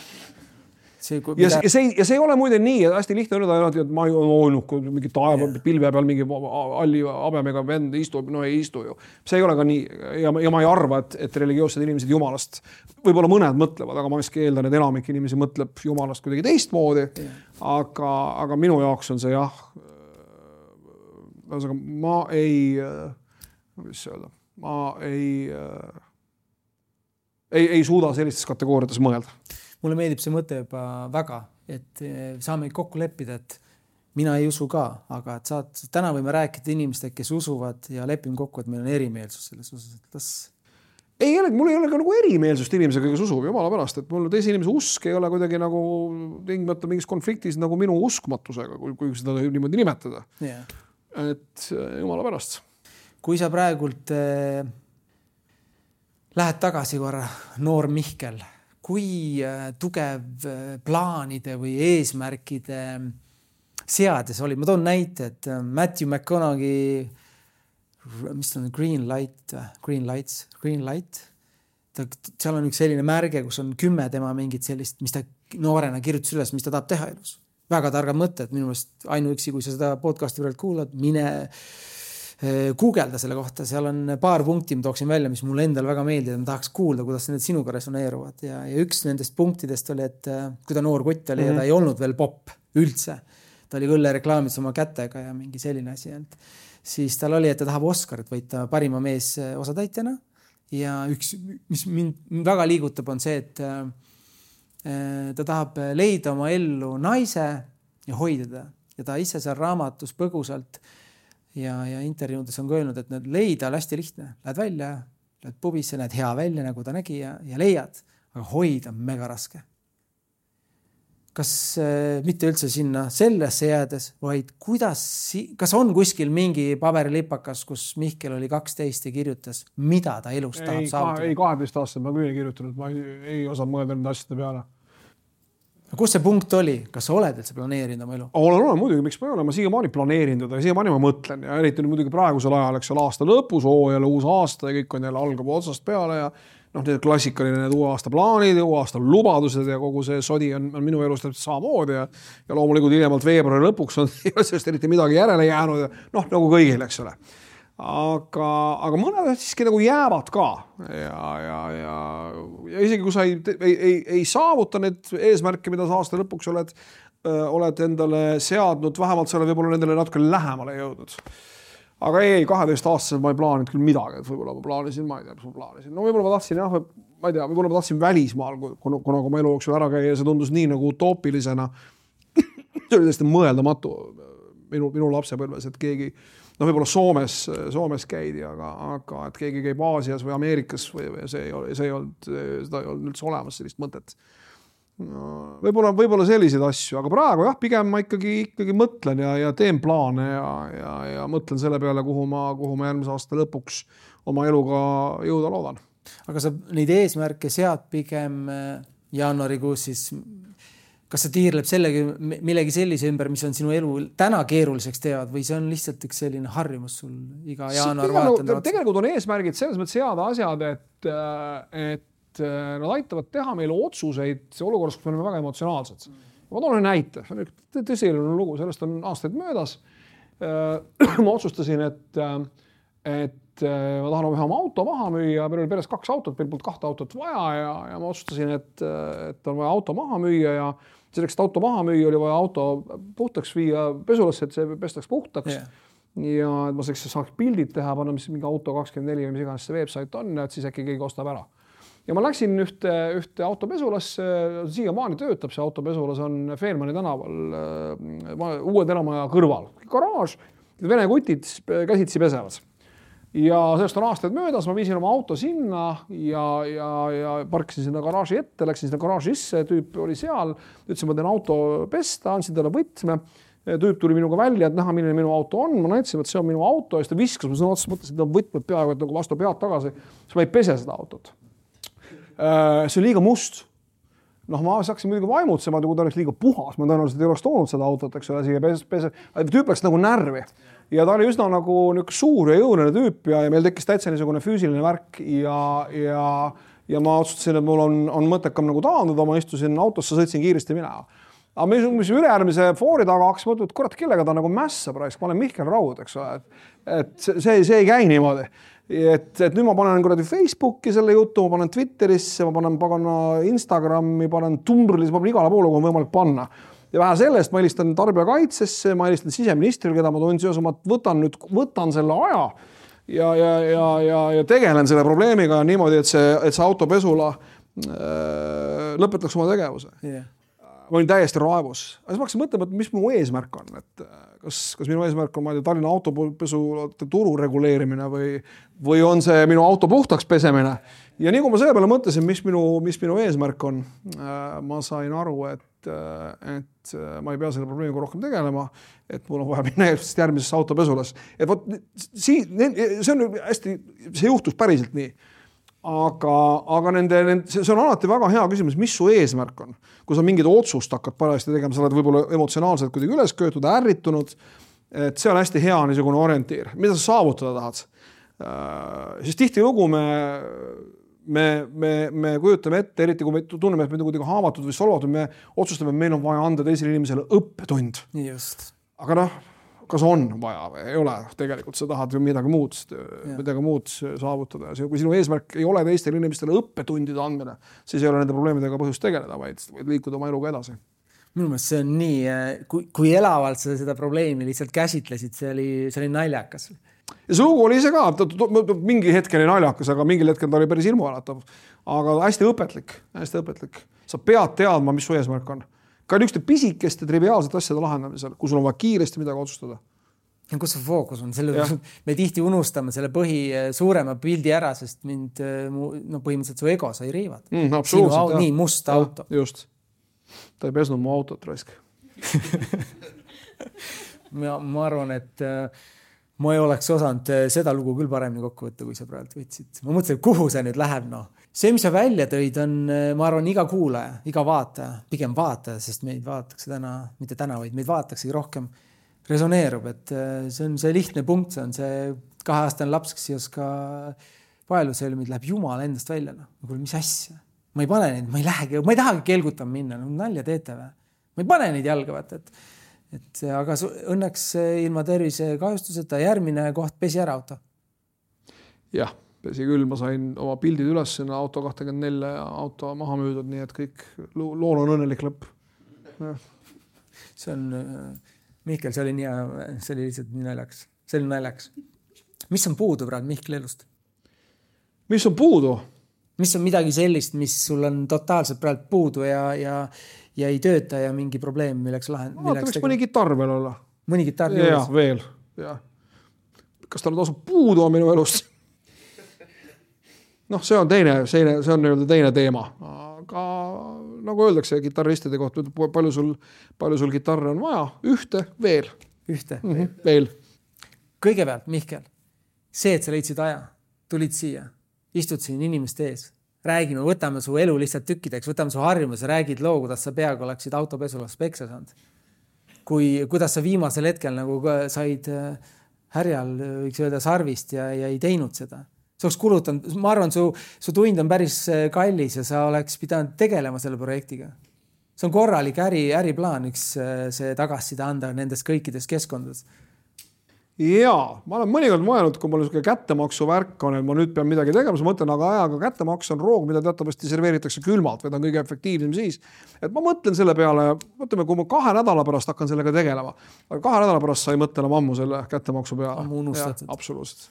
Ja see ei ole muide nii, et hästi lihtne öelda, et ma ei ole mingi taeva pilve peal mingi alli abemega vend istub, ei istu ju. See ei ole ka nii ja ma ei arva, et religioossed inimesed Jumalast, võib-olla mõned mõtlevad, aga ma iski eeldan, et enamik inimesi mõtleb Jumalast kuidagi teistmoodi, aga minu jaoks on see jah, ma ei suuda sellistes kategooriates mõelda. Mulle meeldib see mõte juba väga, et saame kokku leppida, et mina ei usu ka, aga et täna võime rääkida inimestega, kes usuvad ja lepime kokku, et meil on erimeelsus selles osas. Mul ei ole ka nagu erimeelsust inimesega, kes usub jumala pärast, et mul teise inimese usk ei ole kuidagi nagu tingimata mingis konfliktis nagu minu uskmatusega, kui seda niimoodi nimetada. Et jumala pärast. Kui sa praegult lähed tagasi korra, noor Mihkel, kui tugev plaanide või eesmärkide seades oli? Ma toon näite, et Matthew McConaughey, mis on Green Light, seal on üks selline märge, kus on 10 tema mingit sellist, mis ta noorena kirjutas üles, mis ta tahab teha elus. Väga targad mõtted, minu meelest ainuüksi, kui sa seda podcasti võrreld kuulad, mine guugelda selle kohta, seal on paar punkti, ma tooksin välja, mis mulle endal väga meeldib, ma tahaks kuulda, kuidas need sinuga resoneeruvad ja üks nendest punktidest oli, et kui ta noor kutt oli ja ta ei olnud veel popp üldse, ta oli küll reklaamid oma kätega ja mingi selline asi, siis tal oli, et ta tahab Oscarit võita parima mees osatäitjana ja üks, mis mind väga liigutab, on see, et ta tahab leida oma ellu naise ja hoida ta ja ta ise seal raamatus põgusalt ja intervjuudes on öelnud, et need leida on hästi lihtne. Lähed välja, lähed pubisse, näed hea välja, nagu ta nägi ja leiad, aga hoida on mega raske. kas mitte üldse sinna sellesse jäädes, vaid kas on kuskil mingi paberilipakas, kus Mihkel oli 12 ja kirjutas, mida ta elus tahab saavutada? Ei, 12 aastat ma küll ei kirjutanud, ma ei osanud mõelda nende asjade peale. Kus see punkt oli? Kas sa oled üldse planeerinud oma elu? Olen muidugi, miks ma ei ole, ma siiamaani planeerinud, aga siiamaani ma mõtlen ja eriti muidugi praegusel ajal, eks aasta lõpus, jälle uus aasta ja kõik on jälle algab otsast peale ja need klassikaline uue aasta plaanid ja uue aasta lubadused ja kogu see sodi on minu elus täpselt samamoodi ja loomulikult hiljemalt veebruari lõpuks on sellest eriti midagi järele jäänud ja nagu kõigil, eks ole. Aga mõned siiski nagu jäävad ka ja isegi kui sa ei saavuta need eesmärke, mida sa aasta lõpuks oled endale seadnud, vähemalt sa oled võib-olla nendele natuke lähemale jõudnud. Aga ei, 12 aastaselt ma ei plaaninud küll midagi, et võib-olla ma plaanisin, ma ei tea, mis ma plaanisin. No võib-olla ma tahtsin, ma ei tea, võib-olla ma tahtsin välismaal, kuna ma elu jooksul ära käia ja see tundus nii nagu utoopilisena. See oli täiesti mõeldamatu minu lapsepõlves, et keegi võib-olla Soomes käidi, aga et keegi käib Aasias või Ameerikas või see ei olnud üldse olemas sellist mõtet. No, võib-olla selliseid asju, aga praegu pigem ma ikkagi mõtlen ja teen plaane ja mõtlen selle peale, kuhu ma järgmise aasta lõpuks oma eluga jõuda loodan. Aga sa neid eesmärke sead pigem jaanuarikuus siis, kas sa tiirleb millegi sellise ümber, mis on sinu elu täna keeruliseks teevad või see on lihtsalt üks selline harjumus sul iga jaanuar vaatanda? Tegelikult on eesmärgid selles mõttes seada asjad, et nad aitavad teha meile otsuseid olukorras, kus me oleme väga emotsionaalsed. Ma toon ühe näite. See on tõsiline lugu, sellest on aastaid möödas. Ma otsustasin, et ma tahan ühe oma auto maha müüa. Meil oli peres 2 autot, meil polnud 2 autot vaja ja ma otsustasin, et on vaja auto maha müüa ja selleks, et auto maha müüa, oli vaja auto puhtaks viia pesulasse, et see pestaks puhtaks. Ja ma saaks pildid teha, panna mingi auto 24 või mis iganes see website on, et siis äkki keegi ostab ära. Ja ma läksin ühte autopesulasse, siiamaani töötab see autopesulas, on Feelmani tänaval uue tänamaja kõrval. Garaaž, vene kutid käsitsi pesevad. Ja sellest on aastaid möödas, ma viisin oma auto sinna ja parkisin sinna garaaži ette, läksin sinna garaaži sisse, tüüp oli seal, ütlesin, ma teen auto pesta, andsin talle võtme, tüüp tuli minuga välja, et näha, milline minu auto on, ma näitasin, et see on minu auto ja siis ta viskas, ma sõna otsa mõtlesin, et ta võtmed peaaegu et nagu vastu pead tagasi, siis ma ei pese seda autot. See on liiga must. Ma saaksin muidugi vaimutsema, kui ta oleks liiga puhas. Ma tõenäoliselt ei oleks toonud seda autot, eks ole, siia pese. Tüüp läks nagu närvi. Ja ta oli üsna nagu suur ja jõuline tüüp ja meil tekkis täitsa niisugune füüsiline värk ja ma otsustasin, et mul on mõttekam nagu taanduda. Ma istusin autosse, sõitsin kiiresti minema. Aga mis ülejärgmise foori taga hakkas mõtlema, et kurat, kellega ta nagu mässa praegu. Ma olen Mihkel Raud, eks ole. Et see ei käi niimoodi. Et nüüd ma panen Facebooki selle jutu, ma panen Twitterisse, ma panen Instagrami, panen Tumblrisse, ma panen igale poole, kui on võimalik panna. Ja vähe sellest ma helistan tarbijakaitsesse, ma helistan siseministril, keda ma toon seos, ma võtan selle aja ja tegelen selle probleemiga niimoodi, et see autopesula lõpetaks oma tegevuse. Yeah. Ma olin täiesti raevus. Aga siis ma hakkasin mõtlema, et mis mu eesmärk on. Et kas minu eesmärk on Tallinna autopesu turu reguleerimine või on see minu auto puhtaks pesemine. Ja nii kui ma selle peale mõtlesin, mis minu eesmärk on, ma sain aru, et ma ei pea selle probleemiga rohkem tegelema, et mul on vaja minna järgmisesse autopesulas. Et see juhtus päriselt nii. Aga see on alati väga hea küsimus, mis su eesmärk on. Kui sa mingid otsust hakkad parajasti tegema, sa oled võib-olla emotsionaalselt kuidagi üles köötud, ärritunud, et see on hästi hea niisugune orientiir. Mida sa saavutada tahad? Siis tihti lugu me kujutame ette, eriti kui me tunneme, et me kuidagi haavatud või solvatud, me otsustame, et meil on vaja anda teisele inimesele õppetund. Just. Aga kas on vaja või ei ole, tegelikult sa tahad ju midagi muud saavutada. Kui sinu eesmärk ei ole teistele inimestele õppetundide andmine, siis ei ole nende probleemidega põhjust tegeleda, vaid liikuda oma eluga edasi. Minu meelest see on nii, kui elavalt sa seda probleemi lihtsalt käsitlesid, see oli naljakas. Ja see lugu oli ise ka, mingi hetkel oli naljakas, aga mingil hetkel ta oli päris ilmualatav. Aga hästi õpetlik. Sa pead teadma, mis su eesmärk on. Ka niisuguste pisikeste triviaalsete asjade lahendamisel, kui sul on vaja kiiresti midagi otsustada. Ja kus see fookus on? Me tihti unustame selle suurema pildi ära, sest mind põhimõtteliselt su ego sai riivad. Absoluutselt. Nii must auto. Just. ta ei pesnud mu autot raisk. ma arvan, et ma ei oleks osanud seda lugu küll paremini kokku võtta, kui sa praegu võtsid. Ma mõtlesin, kuhu see nüüd läheb, noh. See, mis sa välja tõid, on, ma arvan, iga kuulaja, iga vaataja, pigem vaataja, sest meid vaadatakse täna, mitte täna, vaid meid vaataksegi rohkem, resoneerub, et see on see lihtne punkt, see on see 2-aastane laps, kes ei oska paelusõlmid, läheb jumal endast välja. No. Kuule, mis asja? Ma ei pane neid, ma ei tahagi kelgutama minna, no, nalja teete või? Ma ei pane neid jalga, vaata, aga õnneks ilma tervise kahjustuseta järgmine koht pesi ära auto. Jah, pesi küll, ma sain oma pildid üles sinna auto 24 auto maha müüdud, nii et kõik lool on õnnelik lõpp. Ja. See on, Mihkel, see oli lihtsalt nii naljaks. See oli naljaks. Mis on puudu praegu Mihkel elust? Mis on puudu? Mis on midagi sellist, mis sul on totaalselt praegu puudu ja ei tööta ja mingi probleem, milleks võiks mõni kitarr veel olla. Mõni kitarr juures? Jah, veel. Ja. Kas tal tasub puudu on minu elust? Noh, see on teine teema. Aga nagu öeldakse kitarristide kohta, palju sul kitarre on vaja? Ühte, veel. Ühte? Veel. Kõigepealt, Mihkel, see, et sa leidsid aja, tulid siia, istud siin inimeste ees, räägime, võtame su elu lihtsalt tükkideks, võtame su harjumuse, räägid loo, kuidas sa peaaegu oleksid autopesulas peksa saanud. Kuidas sa viimasel hetkel nagu said härjal, võiks öelda, sarvist ja ei teinud seda. See oleks kulutanud, ma arvan, su tund on päris kallis ja sa oleks pidanud tegelema selle projektiga. See on korralik äriplaan, üks see tagasiside anda nendes kõikides keskkondades. Jaa, ma olen mõnikord mõelnud, kui mul kättemaksu värk on, et ma nüüd pean midagi tegema, ma mõtlen, aga kättemaks on roog, mida teatavasti serveeritakse külmalt või ta on kõige efektiivsem siis. Et ma mõtlen selle peale, mõtleme, kui ma 2 nädala pärast hakkan sellega tegelema, aga 2 nädala pärast sa ei mõtle enam ammu selle kättemaksu peale. Ammu unustatud. Absoluutselt.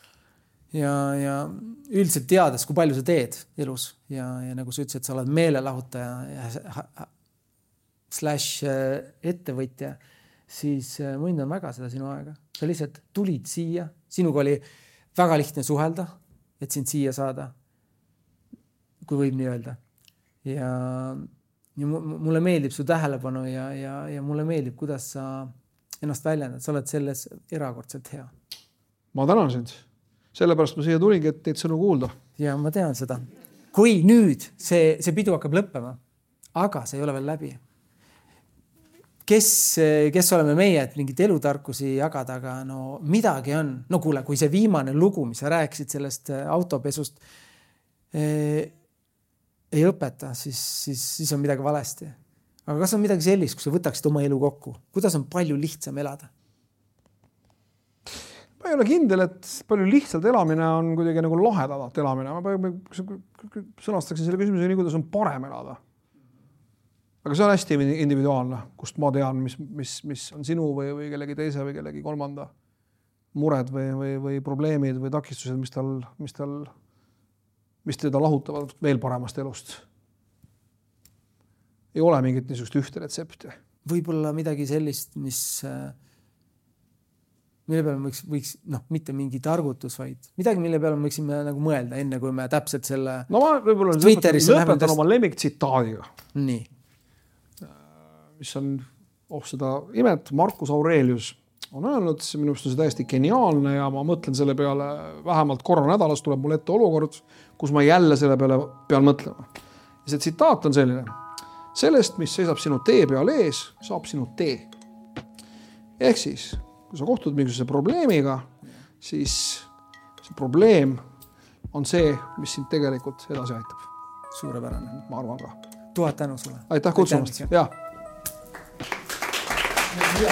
Ja üldiselt teades, kui palju sa teed elus ja nagu sa ütlesid, et sa oled meelelahutaja / ettevõtja, siis ma hindan väga seda sinu aega. Sa lihtsalt tulid siia, sinuga oli väga lihtne suhelda, et sind siia saada, kui võib nii öelda. Ja mulle meeldib su tähelepanu ja mulle meeldib, kuidas sa ennast väljendad. Sa oled selles erakordselt hea. Ma tänan sind. Sellepärast ma siia tulingi, et teid sõnu kuulda. Ja ma tean seda. Kui nüüd see pidu hakkab lõppema, aga see ei ole veel läbi. Kes oleme meie, et mingit elutarkusi jagada, aga no midagi on. No kuule, kui see viimane lugu, mis sa rääkisid sellest autopesust, ei õpeta, siis on midagi valesti. Aga kas on midagi sellist, kui sa võtaksid oma elu kokku? Kuidas on palju lihtsam elada? Ma ei ole kindel, et palju lihtsalt elamine on kuidagi nagu lahedalt elamine. Ma sõnastaksin selle küsimuse nii, kuidas on parem elada. Aga see on hästi individuaalne, kust ma tean, mis on sinu või kellegi teise või kellegi kolmanda mured või probleemid või takistused, mis teda lahutavad veel paremast elust. Ei ole mingit niisugust ühte retsepti. Võib-olla midagi sellist, mille peale võiks mitte mingi targutus, vaid midagi, mille peale võiksime nagu mõelda, enne kui me täpselt selle ma võib-olla lõpetan oma lemmiktsitaadiga. Nii. Mis on seda imet, Marcus Aurelius on öelnud, minu meelest on see täiesti geniaalne ja ma mõtlen selle peale vähemalt korra nädalas tuleb mul ette olukord, kus ma jälle selle peale pean mõtlema. Ja see tsitaat on selline. Sellest, mis seisab sinu tee peal ees, saab sinu tee. Ehk siis, kui sa kohtud mingisuguse probleemiga, siis see probleem on see, mis sind tegelikult edasi aitab. Suurepärane. Ma arvan ka. 1000 tänu sulle. Aitäh kutsumast. Jaa. Ja,